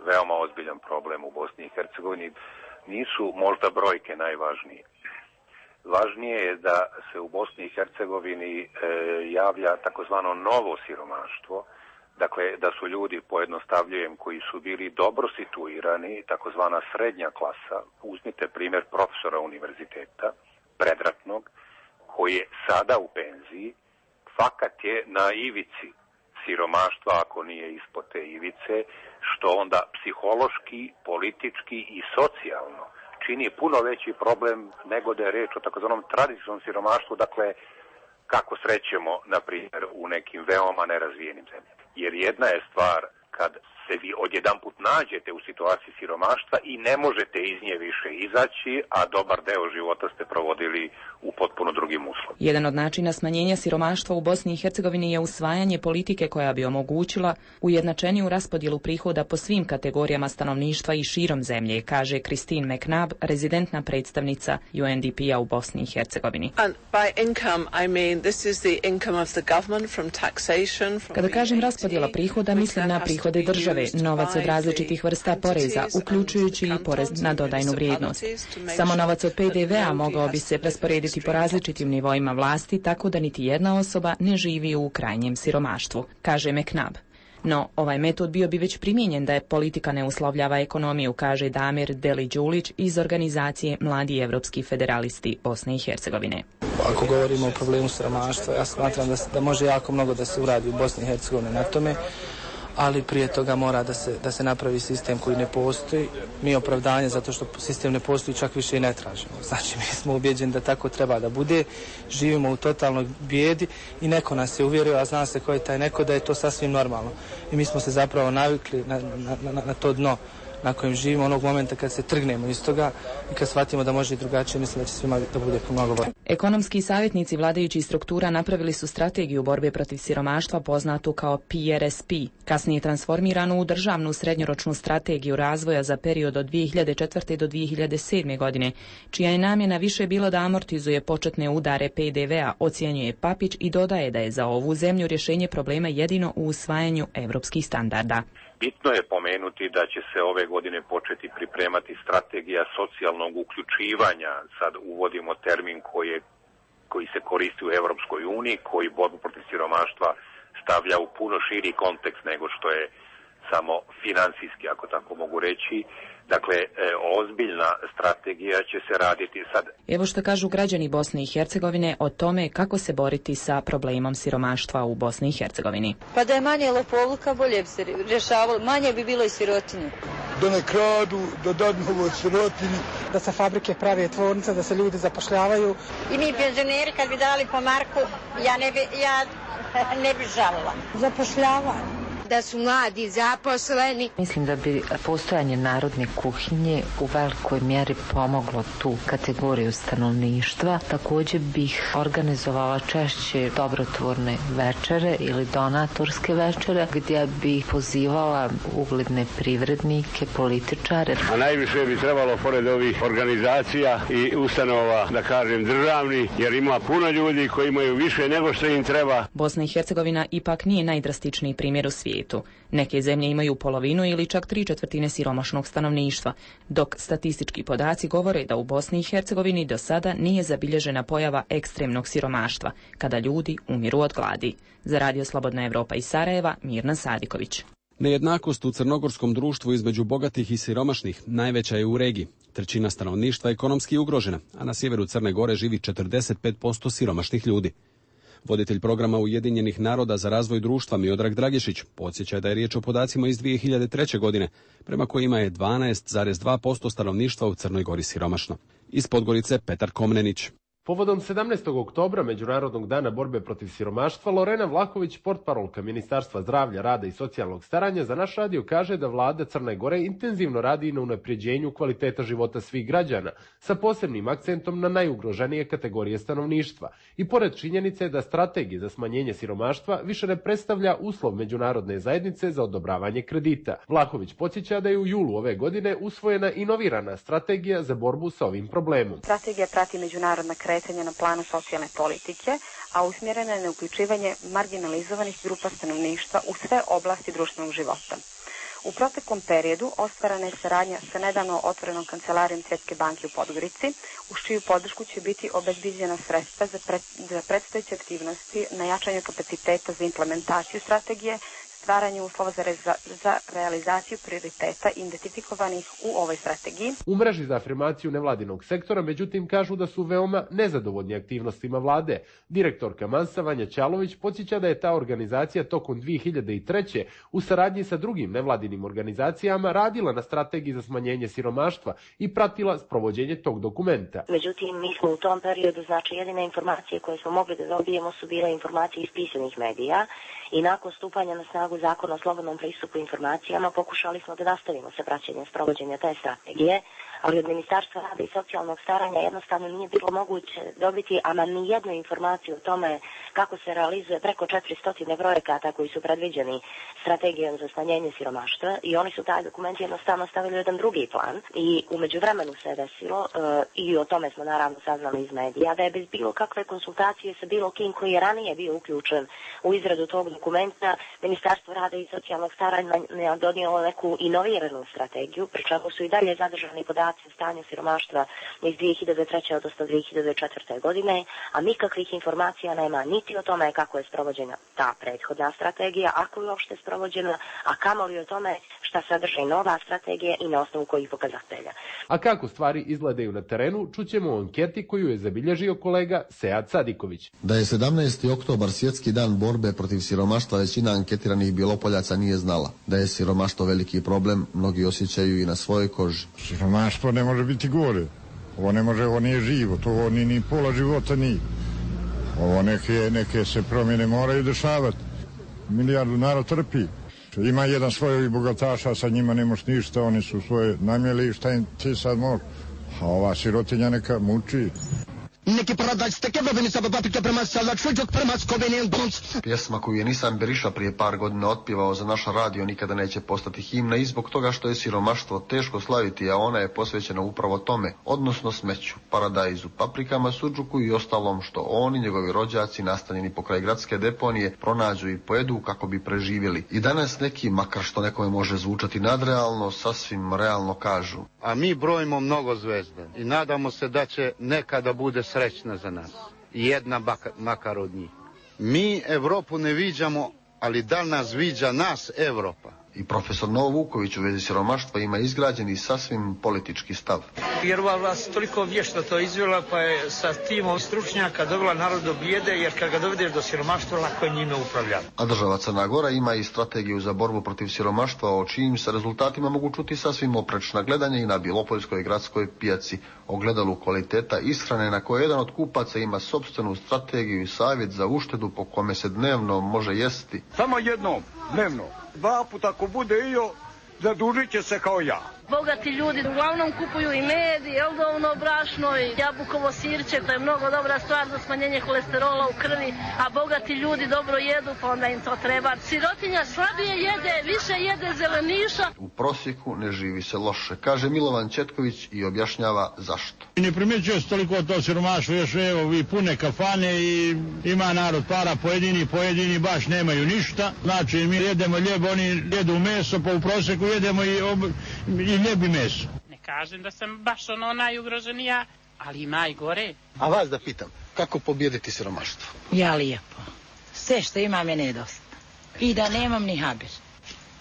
veoma ozbiljan problem u Bosni i Hercegovini. Nisu možda brojke najvažnije. Važnije je da se u Bosni i Hercegovini javlja takozvano novo siromaštvo, dakle da su ljudi, pojednostavljujem, koji su bili dobro situirani, takozvana srednja klasa. Uzmite primjer profesora univerziteta, predratnog, koji je sada u penziji, fakat je na ivici siromaštva ako nije ispod te ivice, što onda psihološki, politički i socijalno čini puno veći problem nego da je reč o takozvanom tradicionalnom siromaštvu, dakle kako srećemo, na primjer, u nekim veoma nerazvijenim zemljama. Jer jedna je stvar kad se vi odjedanput nađete u situaciji siromaštva i ne možete iz nje više izaći, a dobar deo života ste provodili u potpuno drugim uslovima. Jedan od načina smanjenja siromaštva u Bosni i Hercegovini je usvajanje politike koja bi omogućila ujednačeniju raspodjelu prihoda po svim kategorijama stanovništva i širom zemlje, kaže Christine McNabb, rezidentna predstavnica UNDP-a u Bosni i Hercegovini. Kada kažem raspodjela prihoda, mislim na prihode države, novac od različitih vrsta poreza, uključujući i porez na dodajnu vrijednost. Samo novac od PDV-a mogao bi se rasporediti po različitim nivoima vlasti, tako da niti jedna osoba ne živi u krajnjem siromaštvu, kaže McNabb. No, ovaj metod bio bi već primijenjen da je politika ne uslovljava ekonomiju, kaže Damir Deli-Đulić iz organizacije Mladi evropski federalisti Bosne i Hercegovine. Ako govorimo o problemu siromaštva, ja smatram da može jako mnogo da se uradi u Bosni i Hercegovini na tome, ali prije toga mora da se napravi sistem koji ne postoji. Mi opravdanje zato što sistem ne postoji čak više i ne tražimo. Znači, mi smo ubjeđeni da tako treba da bude. Živimo u totalnoj bijedi i neko nas je uvjerio, a zna se ko je taj neko, da je to sasvim normalno. I mi smo se zapravo navikli na to dno na kojem živimo onog momenta kad se trgnemo iz toga i kad shvatimo da može i drugačije, mislim da će svima da bude mnogo bolje. Ekonomski savjetnici vladajućih struktura napravili su strategiju borbe protiv siromaštva poznatu kao PRSP, kasnije transformiranu u državnu srednjoročnu strategiju razvoja za period od 2004. do 2007. godine, čija je namjena više bilo da amortizuje početne udare PDV-a, ocjenjuje Papić i dodaje da je za ovu zemlju rješenje problema jedino u usvajanju evropskih standarda. Bitno je pomenuti da će se ove godine početi pripremati strategija socijalnog uključivanja. Sad uvodimo termin koji se koristi u Europskoj uniji, koji borbu protiv siromaštva stavlja u puno širi kontekst nego što je samo financijski, ako tako mogu reći. Dakle, ozbiljna strategija će se raditi sad. Evo što kažu građani Bosne i Hercegovine o tome kako se boriti sa problemom siromaštva u Bosni i Hercegovini. Pa da je manje lopovluka, bolje bi se rješavalo, manje bi bilo i sirotinje. Da ne kradu, da dadnu ovoj sirotini. Da se fabrike prave, tvornice, da se ljudi zapošljavaju. I mi penzioneri kad bi dali po marku, ja ne bi žalila. Zapošljavanje. Da su mladi zaposleni. Mislim da bi postojanje narodne kuhinje u velikoj mjeri pomoglo tu kategoriju stanovništva. Također bih organizovala češće dobrotvorne večere ili donatorske večere gdje bih pozivala ugledne privrednike, političare. A najviše bi trebalo pored ovih organizacija i ustanova, da kažem državni, jer ima puno ljudi koji imaju više nego što im treba. Bosna i Hercegovina ipak nije najdrastičniji primjer u svijetu. Neke zemlje imaju polovinu ili čak 3/4 siromašnog stanovništva, dok statistički podaci govore da u Bosni i Hercegovini do sada nije zabilježena pojava ekstremnog siromaštva, kada ljudi umiru od gladi. Za Radio Slobodna Evropa iz Sarajeva, Mirna Sadiković. Nejednakost u crnogorskom društvu između bogatih i siromašnih najveća je u regiji. Trećina stanovništva je ekonomski ugrožena, a na sjeveru Crne Gore živi 45% siromašnih ljudi. Voditelj programa Ujedinjenih naroda za razvoj društva Miodrag Dragišić podsjeća da je riječ o podacima iz 2003. godine, prema kojima je 12,2% stanovništva u Crnoj Gori siromašno. Iz Podgorice Petar Komnenić. Povodom 17. oktobra, Međunarodnog dana borbe protiv siromaštva, Lorena Vlahović, portparolka Ministarstva zdravlja, rada i socijalnog staranja, za naš radio kaže da vlada Crne Gore intenzivno radi na unapređenju kvaliteta života svih građana, sa posebnim akcentom na najugroženije kategorije stanovništva. I pored činjenice da strategija za smanjenje siromaštva više ne predstavlja uslov međunarodne zajednice za odobravanje kredita. Vlahović podsjeća da je u julu ove godine usvojena inovirana strategija za borbu sa ovim problemom. Strategija prati međunarodna kretanja na planu socijalne politike, a usmjerena je na uključivanje marginalizovanih grupa stanovništva u sve oblasti društvenog života. U proteklom periodu ostvarana je saradnja sa nedavno otvorenom kancelarijom Svjetske banke u Podgorici, uz čiju podršku će biti obezbiđena sredstva za predstojeće aktivnosti na jačanju kapaciteta za implementaciju strategije, stvaranje uslova za realizaciju prioriteta identifikovanih u ovoj strategiji. U mreži za afirmaciju nevladinog sektora, međutim, kažu da su veoma nezadovoljni aktivnostima vlade. Direktorka Mansa Vanja Ćalović podsjeća da je ta organizacija tokom 2003. u saradnji sa drugim nevladinim organizacijama radila na strategiji za smanjenje siromaštva i pratila sprovođenje tog dokumenta. Međutim, mi smo u tom periodu, znači jedine informacije koje smo mogli da dobijemo su bile informacije iz pisanih medija i nakon stupanja na snagu zakona o slobodnom pristupu informacijama pokušali smo da nastavimo sa praćenjem sprovođenja te strategije, ali od Ministarstva rada i socijalnog staranja jednostavno nije bilo moguće dobiti ama ni jednu informaciju o tome kako se realizuje preko 400 projekata koji su predviđeni strategijom za smanjenje siromaštva i oni su taj dokument jednostavno stavili u jedan drugi plan i u međuvremenu se desilo i o tome smo naravno saznali iz medija da je bez bilo kakve konsultacije sa bilo kim koji je ranije bio uključen u izradu tog dokumenta Ministarstvo rada i socijalnog staranja donijelo neku inoviranu strategiju, pri čemu su i dalje zadržani podaci o stanju siromaštva iz 2003. odnosno 2004. godine, a nikakvih informacija nema niti o tome kako je sprovođena ta prethodna strategija, ako je uopšte sprovođena, a kamoli o tome šta sadrži nova strategija i na osnovu kojih pokazatelja. A kako stvari izgledaju na terenu, čućemo u anketi koju je zabilježio kolega Sead Sadiković. Da je 17. oktobar svjetski dan borbe protiv siromaštva, većina anketiranih Bilopoljaca nije znala. Da je siromaštvo veliki problem, mnogi osjećaju i na svojoj koži. Siromaštvo ne može biti gore. Ovo nije život, ovo ni pola života nije. Ovo neke se promjene moraju dešavati. Milijardu narod trpi. Ima jedan svoj bogataša, sa njima ne moš ništa, oni su svoje namjeli, šta im ti sad može? A ova sirotinja neka muči. Pjesma koju je Nisan Beriša prije par godina otpjevao za naš radio nikada neće postati himna i zbog toga što je siromaštvo teško slaviti, a ona je posvećena upravo tome, odnosno smeću, paradajzu, paprikama, sudžuku i ostalom što on i njegovi rođaci nastanjeni pokraj gradske deponije pronađu i pojedu kako bi preživjeli. I danas neki, makar što nekome može zvučati nadrealno, sasvim realno kažu. A mi brojimo mnogo zvezda i nadamo se da će nekada bude srećna za nas. Jedna makar od njih. Mi Evropu ne viđamo, ali da li nas viđa nas Evropa? I profesor Novo Vuković u vezi siromaštva ima izgrađeni sasvim politički stav. Jer ova vlast toliko vješto to izvela, pa je sa timom stručnjaka dovela narod do bijede, jer kad ga dovedeš do siromaštva, lako je njime upravljati. A država Crna Gora ima i strategiju za borbu protiv siromaštva, o čijim se rezultatima mogu čuti sasvim oprečna gledanja i na Bilopoljskoj gradskoj pijaci, ogledalu kvaliteta ishrane na koje jedan od kupaca ima sopstvenu strategiju i savjet za uštedu po kome se dnevno može jesti. Samo jednom, dnevno. 2 puta ako bude iyo, zadužit će se kao ja. Bogati ljudi uglavnom kupuju i med, i eldovno brašno, i jabukovo sirće, to je mnogo dobra stvar za smanjenje kolesterola u krvi, a bogati ljudi dobro jedu, pa onda im to treba. Sirotinja slabije jede, više jede zeleniša. U prosjeku ne živi se loše, kaže Milovan Četković i objašnjava zašto. Ne primjećuje se toliko to siromaštvo, još evo vi pune kafane i ima narod para, pojedini baš nemaju ništa. Znači mi jedemo ljeb, oni jedu meso, pa u prosjeku jedemo i ljebi meso. Ne kažem da sam baš najugroženija, ali ima i gore. A vas da pitam, kako pobijediti siromaštvo? Ja lijepo. Sve što imam je nedosta. I da nemam ni habir.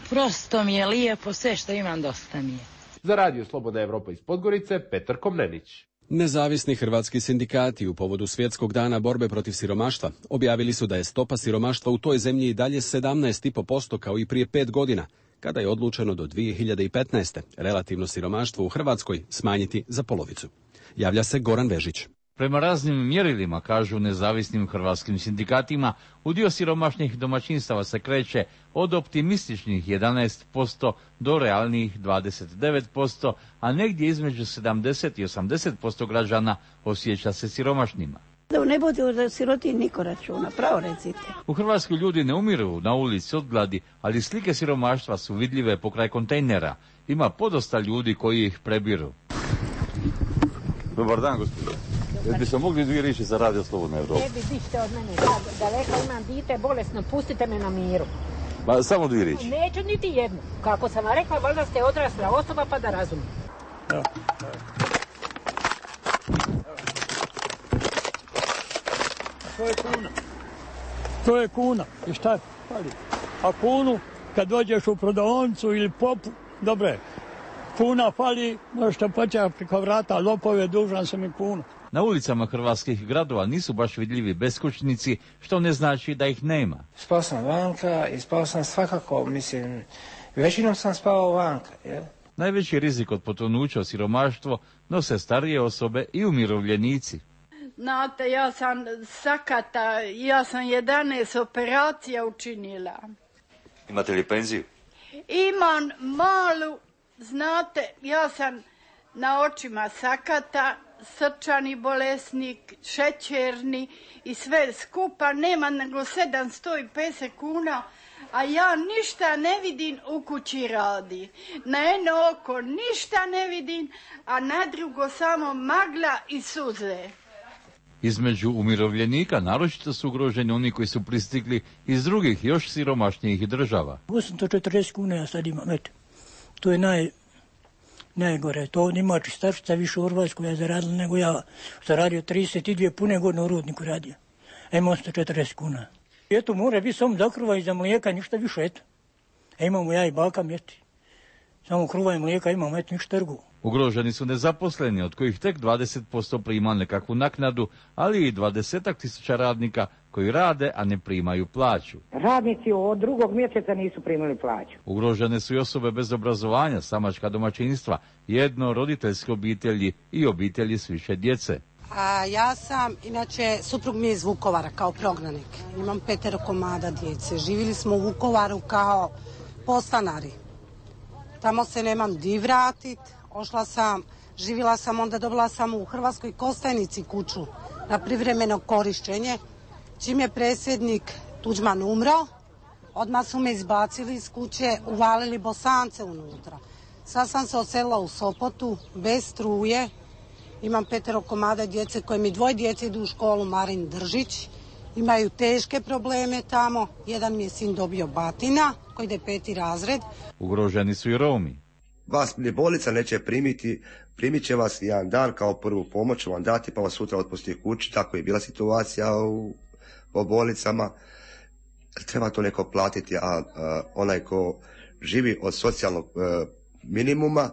Prosto mi je lijepo, sve što imam dosta mi je. Za Radio Slobodna Evropa iz Podgorice, Petar Komnenić. Nezavisni hrvatski sindikati u povodu Svjetskog dana borbe protiv siromaštva objavili su da je stopa siromaštva u toj zemlji i dalje 17,5% kao i prije 5 godina, kada je odlučeno do 2015. relativno siromaštvo u Hrvatskoj smanjiti za polovicu. Javlja se Goran Vežić. Prema raznim mjerilima, kažu nezavisnim hrvatskim sindikatima, udio siromašnih domaćinstava se kreće od optimističnih 11% do realnih 29%, a negdje između 70 i 80% građana osjeća se siromašnima. Da ne bude o siroti niko računa, pravo recite. U Hrvatskoj ljudi ne umiru na ulici od gladi, ali slike siromaštva su vidljive pokraj kontejnera. Ima podosta ljudi koji ih prebiru. Dobar dan, gospodine. Jel bi se mogli 2 riječi za Radio Slobodna Evropa? Ne bi dište od mene, daleko imam dite, bolesno, pustite me na miru. Ba, samo 2 riječi. Neću niti jednu. Kako sam vam rekla, valjda ste odrasla osoba pa da razumite. Ja. To je kuna. I šta fali? A kunu, kad dođeš u prodavnicu ili popu, dobre, kuna fali, možete početi preko vrata, lopove, dužan sam i kunu. Na ulicama hrvatskih gradova nisu baš vidljivi beskućnici, što ne znači da ih nema. Spao sam vanka i spao sam svakako, mislim, većinom sam spao vanka. Je? Najveći rizik od potonuća u siromaštvo nose starije osobe i umirovljenici. Znate, ja sam sakata, ja sam 11 operacija učinila. Imate li penziju? Imam malu, znate, ja sam na očima sakata, srčani bolesnik, šećerni i sve skupa, nema nego 750 kuna, a ja ništa ne vidim, u kući radi. Na jedno oko ništa ne vidim, a na drugo samo magla i suze. Između umirovljenika naročito su ugroženi oni koji su pristigli iz drugih još siromašnijih država. 840 kuna ja sad imam, eto. To je najgore. To ovdje ima čistačica više u Hrvatskoj ja zaradila nego ja. Što radio 32 pune godine u rudniku radio. A imam 840 kuna. Eto, mora biti samo za kruva i za mlijeka, ništa više, eto. A imamo ja i baka mjeti. Samo kruva i mlijeka imamo, eto, ništa trgu. Ugroženi su nezaposleni, od kojih tek 20% prima nekakvu naknadu, ali i 20.000 radnika koji rade, a ne primaju plaću. Radnici od 2. mjeseca nisu primili plaću. Ugrožene su i osobe bez obrazovanja, samačka domaćinstva, jednoroditeljske obitelji i obitelji s više djece. Ja sam, inače, suprug mi je iz Vukovara kao prognanik. Imam 5 komada djece. Živjeli smo u Vukovaru kao podstanari. Tamo se nemam di vratit. Živjela sam, onda dobila sam u Hrvatskoj Kostajnici kuću na privremeno korištenje. Čim je predsjednik Tuđman umro, odmah su me izbacili iz kuće, uvalili Bosance unutra. Sad sam se odselila u Sopotu, bez struje. Imam 5 komada djece koje mi 2 djece idu u školu, Marin Držić. Imaju teške probleme tamo. Jedan mi je sin dobio batina, koji ide 5. razred. Ugroženi su i Romi. Vas ni bolnica neće primit će vas jedan dan kao prvu pomoć, vam dati pa vas sutra otpusti kući, tako je bila situacija po bolnicama. Treba to neko platiti, a onaj ko živi od socijalnog minimuma,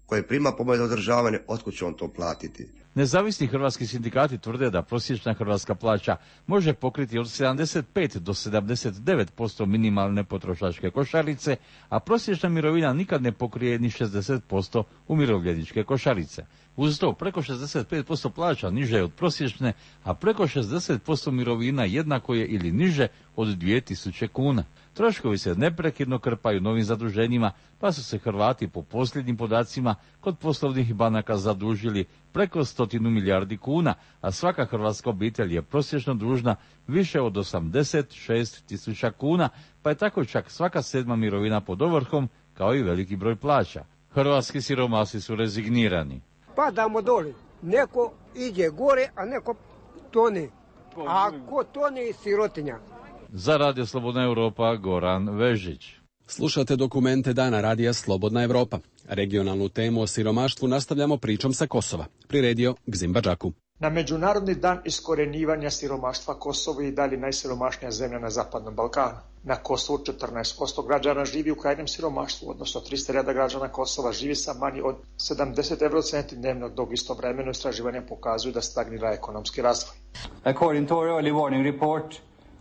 koji prima pomoć za održavanje, otkud će on to platiti? Nezavisni hrvatski sindikati tvrde da prosječna hrvatska plaća može pokriti od 75 do 79% minimalne potrošačke košarice, a prosječna mirovina nikad ne pokrije ni 60% umirovljeničke košarice. Uz to preko 65% plaća niže je od prosječne, a preko 60% mirovina jednako je ili niže od 2000 kuna. Troškovi se neprekidno krpaju novim zaduženjima, pa su se Hrvati po posljednjim podacima kod poslovnih banaka zadužili preko 100 milijardi kuna, a svaka hrvatska obitelj je prosječno dužna više od 86.000 kuna, pa je tako čak svaka 7. mirovina pod ovrhom, kao i veliki broj plaća. Hrvatski siromasi su rezignirani. Padamo doli. Neko ide gore, a neko tone. A ko tone, sirotinja. Za Radio Slobodna Europa, Goran Vežić. Slušate dokumente dana Radija Slobodna Europa. Regionalnu temu o siromaštvu nastavljamo pričom sa Kosova. Priredio Gzim Badžaku. Na Međunarodni dan iskorjenjivanja siromaštva Kosovo je i dalje najsiromašnija zemlja na Zapadnom Balkanu. Na Kosovu 14% građana živi u krajnjem siromaštvu, odnosno 300.000 građana Kosova živi sa manje od 70 eurocenti dnevno, dok istovremeno istraživanja pokazuju da stagnira ekonomski razvoj. According to our early warning report,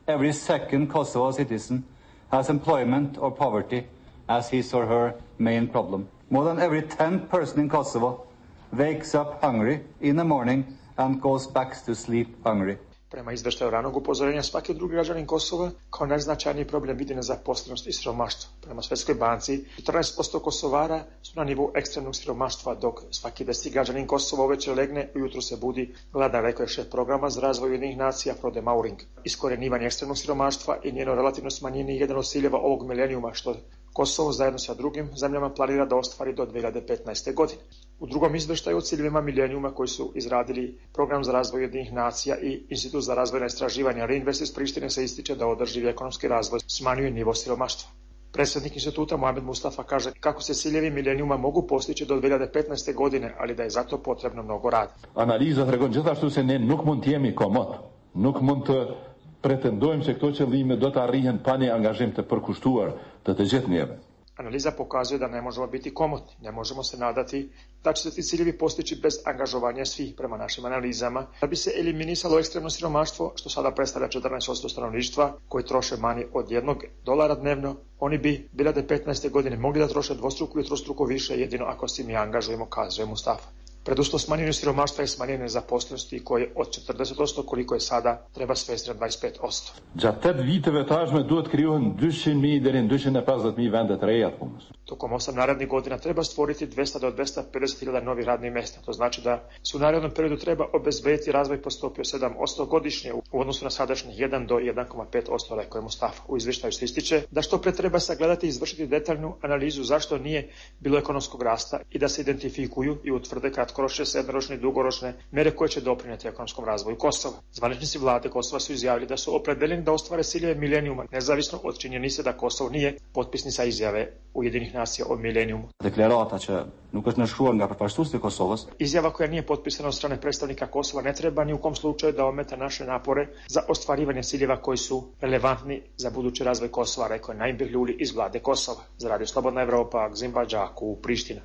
every second Kosovo citizen has employment or poverty as his or her main problem. More than every 10th person in Kosovo wakes up hungry in the morning and goes back to sleep hungry. Prema izveštaju ranog upozorenja, svaki drugi građanin Kosova kao najznačajniji problem vidi nezaposlenost i siromaštvo. Prema Svjetskoj banci, 14% Kosovara su na nivou ekstremnog siromaštva, dok svaki 10. građanin Kosova uveče legne, ujutru se budi gladan, rekao je šef programa za razvoj Ujedinjenih nacija Frode Mauring. Iskorjenjivanje ekstremnog siromaštva i njeno relativno smanjenje je jedan od ciljeva ovog milenijuma, što Kosovo zajedno sa drugim zemljama planira da ostvari do 2015. godine. U drugom izveštaju o ciljevima milenijuma koji su izradili Program za razvoj Ujedinjenih nacija i Institut za razvojna istraživanja Reinvest iz Prištine se ističe da održivi ekonomski razvoj smanjuje nivo siromaštva. Predsjednik instituta Mohamed Mustafa kaže kako se ciljevi milenijuma mogu postići do 2015. godine, ali da je zato potrebno mnogo rada. Analiza tregon gjithashtu se ne nuk mund të jemi komod. Nuk mund të Pretendojmë se këto qëllime do të arrihen pa një angazhim të përkushtuar të të gjithë njerëve. Analiza pokazuje da ne možemo biti komotni, ne možemo se nadati da će se ti ciljevi postići bez angažovanja svih prema našim analizama. Da bi se eliminisalo ekstremno siromaštvo, što sada predstavlja 14% stanovništva koji troše manje od $1 dnevno, oni bi 2015. godine mogli da troše dvostruko ili trostruko više jedino ako se mi angažujemo, kazuje Mustafa. Preduslov smanjenju siromaštva je smanjenje nezaposlenosti koje od 40% koliko je sada treba svesti na 25%. Gjatë 8 viteve të ardhshme duhet krijohen 200.000 deri në 250.000 vende të reja të punës. Tokom 8 narednih godina treba stvoriti 200 do 250.000 novih radnih mjesta. To znači da se u narednom periodu treba obezbediti razvoj po stopi od 7% godišnje u odnosu na sadašnjih 1 do 1,5%, rekao je Mustafa. U izveštaju se ističe da što pre treba sagledati i izvršiti detaljnu analizu zašto nije bilo ekonomskog rasta i da se identifikuju i utvrde kratkoročne, srednjoročne i dugoročne mere koje će doprinijeti ekonomskom razvoju Kosova. Zvaničnici vlade Kosova su izjavili da su opredeljeni da ostvare ciljeve milenijuma, nezavisno od činjenice da Kosovo nije potpisnica izjave Ujedinjenih nacija o milenijumu. Deklarata që nuk është nënshkruar nga përfaqësuesit e Kosovës. Izjava koja nije potpisana od strane predstavnika Kosova ne treba ni u kom slučaju da ometa naše napore za ostvarivanje ciljeva koji su relevantni za budući razvoj Kosova, rekao je Naim Behluli iz vlade Kosova. Za Radio Slobodna Evropa, Gzimba Đaku, Priština.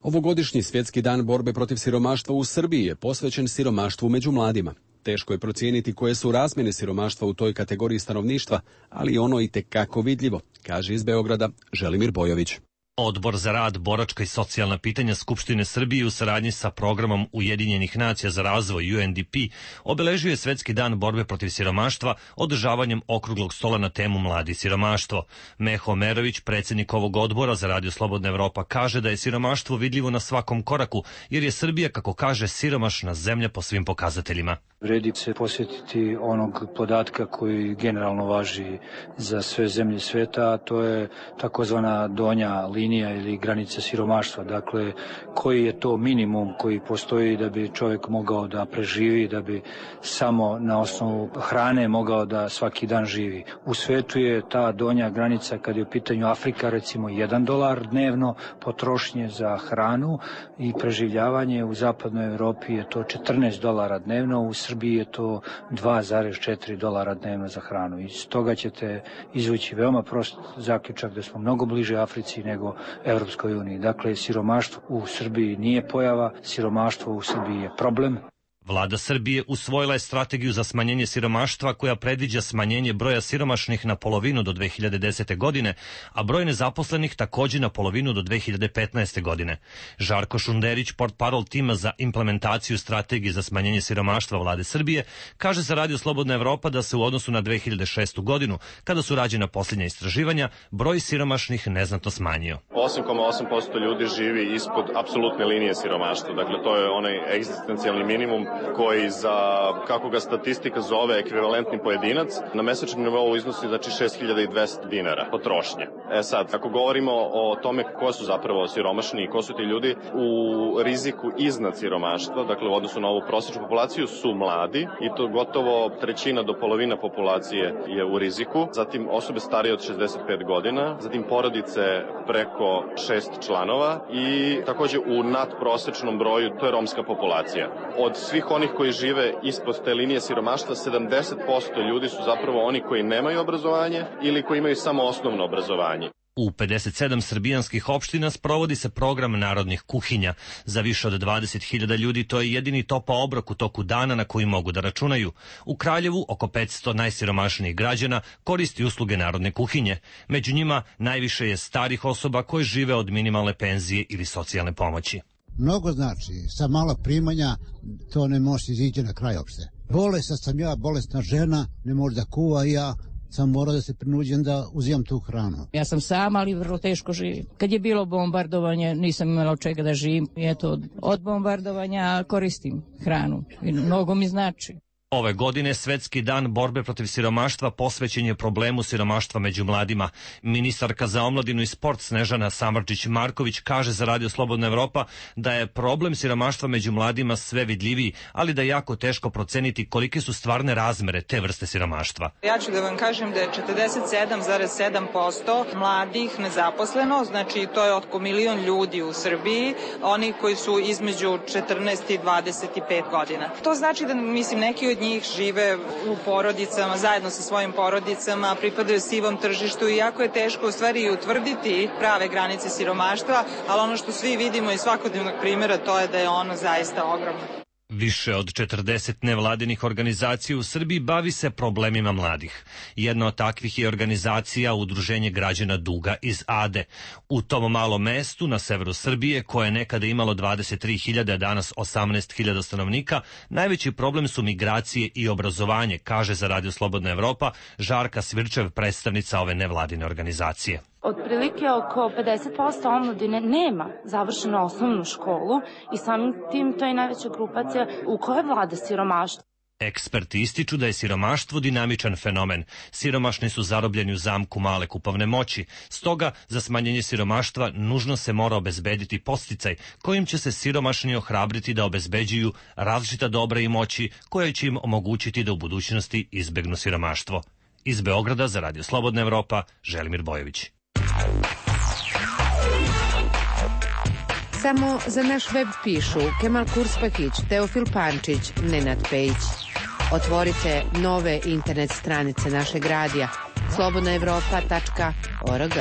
Ovogodišnji svjetski dan borbe protiv siromaštva u Srbiji je posvećen siromaštvu među mladima. Teško je procijeniti koje su razmjene siromaštva u toj kategoriji stanovništva, ali ono i tekako vidljivo, kaže iz Beograda Želimir Bojović. Odbor za rad, boračka i socijalna pitanja Skupštine Srbije u saradnji sa programom Ujedinjenih nacija za razvoj UNDP obeležio je Svetski dan borbe protiv siromaštva održavanjem okruglog stola na temu Mladi siromaštvo. Meho Merović, predsjednik ovog odbora za Radio Slobodna Evropa, kaže da je siromaštvo vidljivo na svakom koraku, jer je Srbija, kako kaže, siromašna zemlja po svim pokazateljima. Vredi se posjetiti onog podatka koji generalno važi za sve zemlje sveta, a to je takozvana donja linija ili granica siromaštva. Dakle, koji je to minimum koji postoji da bi čovjek mogao da preživi, da bi samo na osnovu hrane mogao da svaki dan živi. U svetu je ta donja granica, kad je u pitanju Afrika, recimo $1 dnevno potrošnje za hranu i preživljavanje. U zapadnoj Europi je to $14 dnevno, u Srbiji je to $2,4 dnevno za hranu. Iz toga ćete izvući veoma prost zaključak da smo mnogo bliže Africi nego Evropskoj uniji. Dakle, siromaštvo u Srbiji nije pojava, siromaštvo u Srbiji je problem. Vlada Srbije usvojila je strategiju za smanjenje siromaštva koja predviđa smanjenje broja siromašnih na polovinu do 2010. godine, a broj nezaposlenih također na polovinu do 2015. godine. Žarko Šunderić, portparol tima za implementaciju strategije za smanjenje siromaštva Vlade Srbije, kaže za Radio Slobodna Evropa da se u odnosu na 2006. godinu, kada su rađena posljednja istraživanja, broj siromašnih neznatno smanjio. 8,8% ljudi živi ispod apsolutne linije siromaštva. Dakle, to je onaj egzistencijalni minimum koji za, kako ga statistika zove, ekvivalentni pojedinac, na mesečnom nivou iznosi znači 6.200 dinara potrošnje. Sad, ako govorimo o tome ko su zapravo siromašni i ko su ti ljudi u riziku iznad siromaštva, dakle u odnosu na ovu prosječnu populaciju, su mladi i to gotovo trećina do polovina populacije je u riziku, zatim osobe starije od 65 godina, zatim porodice preko 6 članova i također u nadprosečnom broju, to je romska populacija. Od svih onih koji žive ispod te linije siromaštva, 70% ljudi su zapravo oni koji nemaju obrazovanje ili koji imaju samo osnovno obrazovanje. U 57 srbijanskih opština sprovodi se program narodnih kuhinja. Za više od 20.000 ljudi to je jedini topao obrok u toku dana na koji mogu da računaju. U Kraljevu oko 500 najsiromašnijih građana koristi usluge narodne kuhinje. Među njima najviše je starih osoba koje žive od minimalne penzije ili socijalne pomoći. Mnogo znači, sa malo primanja to ne može izići na kraj opšte. Bolesna sam ja, bolesna žena, ne može da kuva i ja sam morao da se prinuđem da uzimam tu hranu. Ja sam sama, ali vrlo teško živim. Kad je bilo bombardovanje, nisam imala od čega da živim. Eto, od bombardovanja koristim hranu i mnogo mi znači. Ove godine Svetski dan borbe protiv siromaštva posvećen je problemu siromaštva među mladima. Ministarka za omladinu i sport Snežana Samardžić-Marković kaže za Radio Slobodna Evropa da je problem siromaštva među mladima sve vidljiviji, ali da je jako teško proceniti kolike su stvarne razmere te vrste siromaštva. Ja ću da vam kažem da je 47,7% mladih nezaposleno, znači to je oko 1 milion ljudi u Srbiji, oni koji su između 14 i 25 godina. To znači da, mislim, neki od od njih žive u porodicama, zajedno sa svojim porodicama, pripadaju sivom tržištu i jako je teško u stvari utvrditi prave granice siromaštva, ali ono što svi vidimo iz svakodnevnog primjera to je da je ono zaista ogromno. Više od 40 nevladinih organizacija u Srbiji bavi se problemima mladih. Jedna od takvih je organizacija Udruženje građana Duga iz Ade. U tom malom mestu na severu Srbije, koje je nekada imalo 23.000, a danas 18.000 stanovnika, najveći problem su migracije i obrazovanje, kaže za Radio Slobodna Evropa Žarka Svirčev, predstavnica ove nevladine organizacije. Otprilike oko 50% omladine nema završenu osnovnu školu i samim tim to je najveća grupacija u kojoj vlada siromaštvo. Eksperti ističu da je siromaštvo dinamičan fenomen. Siromašni su zarobljeni u zamku male kupovne moći. Stoga, za smanjenje siromaštva nužno se mora obezbediti podsticaj kojim će se siromašni ohrabriti da obezbeđuju različita dobra i moći koja će im omogućiti da u budućnosti izbegnu siromaštvo. Iz Beograda za Radio Slobodna Evropa, Želimir Bojović. Samo za naš web pišu Kemal Kurspahić, Teofil Pančić, Nenad Pejić. Otvorite nove internet stranice našeg radija slobodnaevropa.org.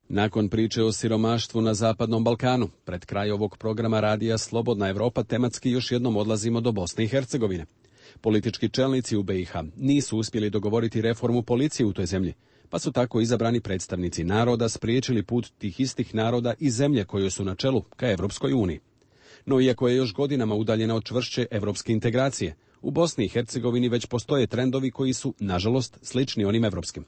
Nakon priče o siromaštvu na Zapadnom Balkanu, pred kraj ovog programa radija Slobodna Evropa tematski još jednom odlazimo do Bosne i Hercegovine. Politički čelnici u BiH nisu uspjeli dogovoriti reformu policije u toj zemlji, pa su tako izabrani predstavnici naroda spriječili put tih istih naroda i zemlje koje su na čelu ka Evropskoj uniji. No iako je još godinama udaljena od čvršće evropske integracije, u Bosni i Hercegovini već postoje trendovi koji su, nažalost, slični onim evropskim.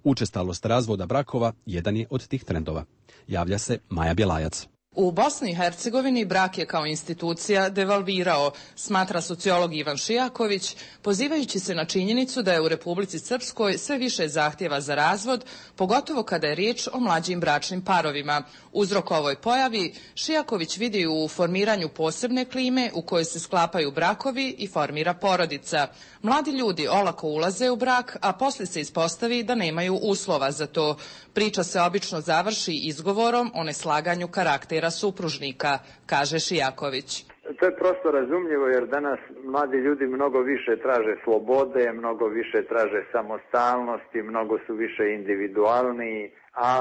Učestalost razvoda brakova jedan je od tih trendova. Javlja se Maja Bjelajac. U Bosni i Hercegovini brak je kao institucija devalvirao, smatra sociolog Ivan Šijaković, pozivajući se na činjenicu da je u Republici Srpskoj sve više zahtjeva za razvod, pogotovo kada je riječ o mlađim bračnim parovima. Uzrok ovoj pojavi Šijaković vidi u formiranju posebne klime u kojoj se sklapaju brakovi i formira porodica. Mladi ljudi olako ulaze u brak, a poslije se ispostavi da nemaju uslova za to. Priča se obično završi izgovorom o neslaganju karaktera supružnika, kaže Šijaković. To je prosto razumljivo jer danas mladi ljudi mnogo više traže slobode, mnogo više traže samostalnosti, mnogo su više individualniji, a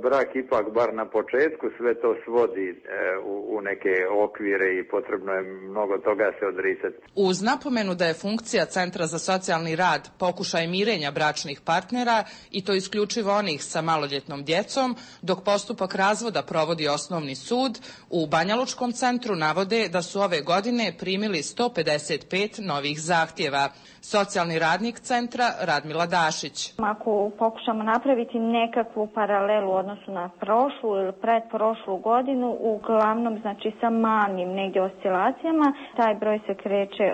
brak ipak bar na početku sve to svodi u neke okvire i potrebno je mnogo toga se odricati. Uz napomenu da je funkcija Centra za socijalni rad pokušaj mirenja bračnih partnera i to isključivo onih sa maloljetnom djecom, dok postupak razvoda provodi osnovni sud, u Banjalučkom centru navode da su ove godine primili 155 novih zahtjeva. Socijalni radnik centra Radmila Dašić. Ako pokušamo napraviti nekakvu paralelu u odnosu na prošlu ili pretprošlu godinu, uglavnom znači sa malim negdje oscilacijama, taj broj se kreće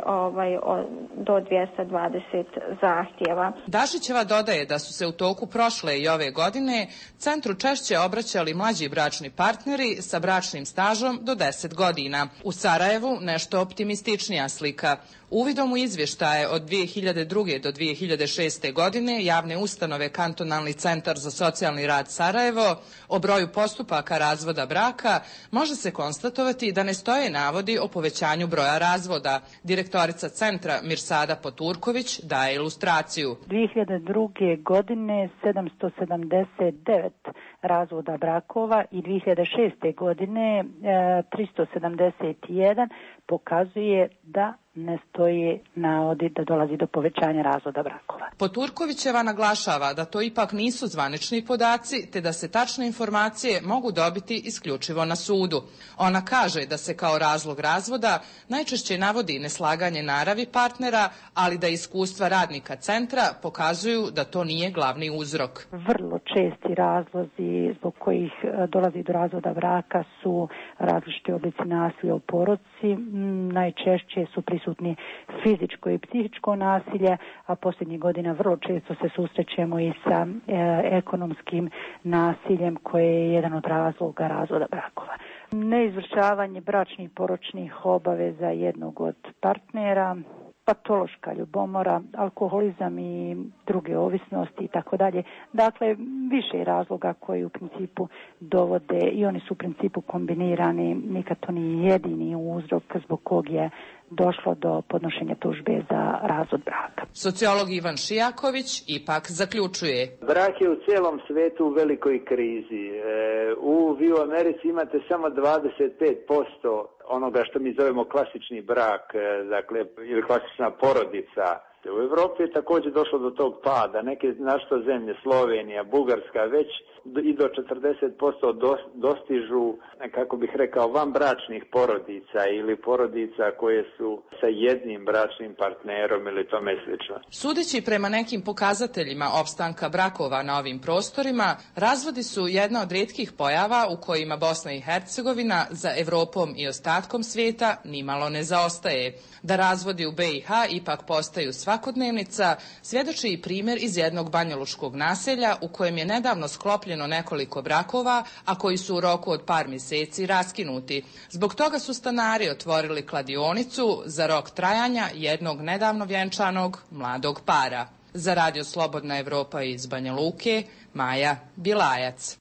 do 220 zahtjeva. Dašićeva dodaje da su se u toku prošle i ove godine centru češće obraćali mlađi bračni partneri sa bračnim stažom do 10 godina. U Sarajevu nešto optimističnija slika. Uvidom u izvještaje od 2002. do 2006. godine javne ustanove Kantonalni centar za socijalni rad Sarajevo o broju postupaka razvoda braka može se konstatovati da ne stoje navodi o povećanju broja razvoda. Direktorica centra Mirsada Poturković daje ilustraciju. 2002. godine 779 razvoda brakova i 2006. godine 371 pokazuje da ne stoji navodi da dolazi do povećanja razvoda brakova. Poturkovićeva naglašava da to ipak nisu zvanični podaci, te da se tačne informacije mogu dobiti isključivo na sudu. Ona kaže da se kao razlog razvoda najčešće navodi neslaganje naravi partnera, ali da iskustva radnika centra pokazuju da to nije glavni uzrok. Vrlo česti razlozi zbog kojih dolazi do razvoda braka su različiti oblici nasilja u porodici. Najčešće su prisutni fizičko i psihičko nasilje, a posljednjih godina vrlo često se susrećemo i sa ekonomskim nasiljem koje je jedan od razloga razvoda brakova. Neizvršavanje bračnih i poročnih obaveza jednog od partnera, patološka ljubomora, alkoholizam i druge ovisnosti i tako dalje. Dakle, više razloga koji u principu dovode i oni su u principu kombinirani, nikad to nije jedini uzrok zbog kog je došlo do podnošenja tužbe za razvod braka. Sociolog Ivan Šijaković ipak zaključuje. Brak je u cijelom svijetu u velikoj krizi. Vi u Americi imate samo 25% onoga što mi zovemo klasični brak, dakle, ili klasična porodica. U Europi je također došlo do tog pada. Neke našto zemlje, Slovenija, Bugarska, već i do 40% dostižu, kako bih rekao, vanbračnih porodica ili porodica koje su sa jednim bračnim partnerom ili tome slično. Sudeći prema nekim pokazateljima opstanka brakova na ovim prostorima, razvodi su jedna od rijetkih pojava u kojima Bosna i Hercegovina za Evropom i ostatkom svijeta nimalo ne zaostaje. Da razvodi u BiH ipak postaju svakodnevnica, svjedoči i primjer iz jednog banjalučkog naselja u kojem je nedavno sklopljeno nekoliko brakova, a koji su u roku od par mjeseci raskinuti. Zbog toga su stanari otvorili kladionicu za rok trajanja jednog nedavno vjenčanog mladog para. Za Radio Slobodna Evropa iz Banja Luke, Maja Bilajac.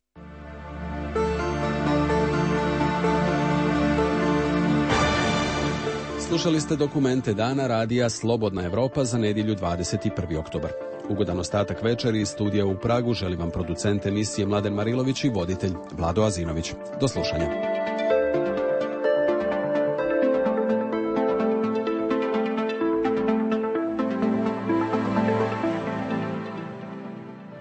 Slušali ste dokumente dana radija Slobodna Evropa za nedjelju 21. oktobar. Ugodan ostatak večeri iz studija u Pragu želi vam producent emisije Mladen Marilović i voditelj Vlado Azinović. Do slušanja.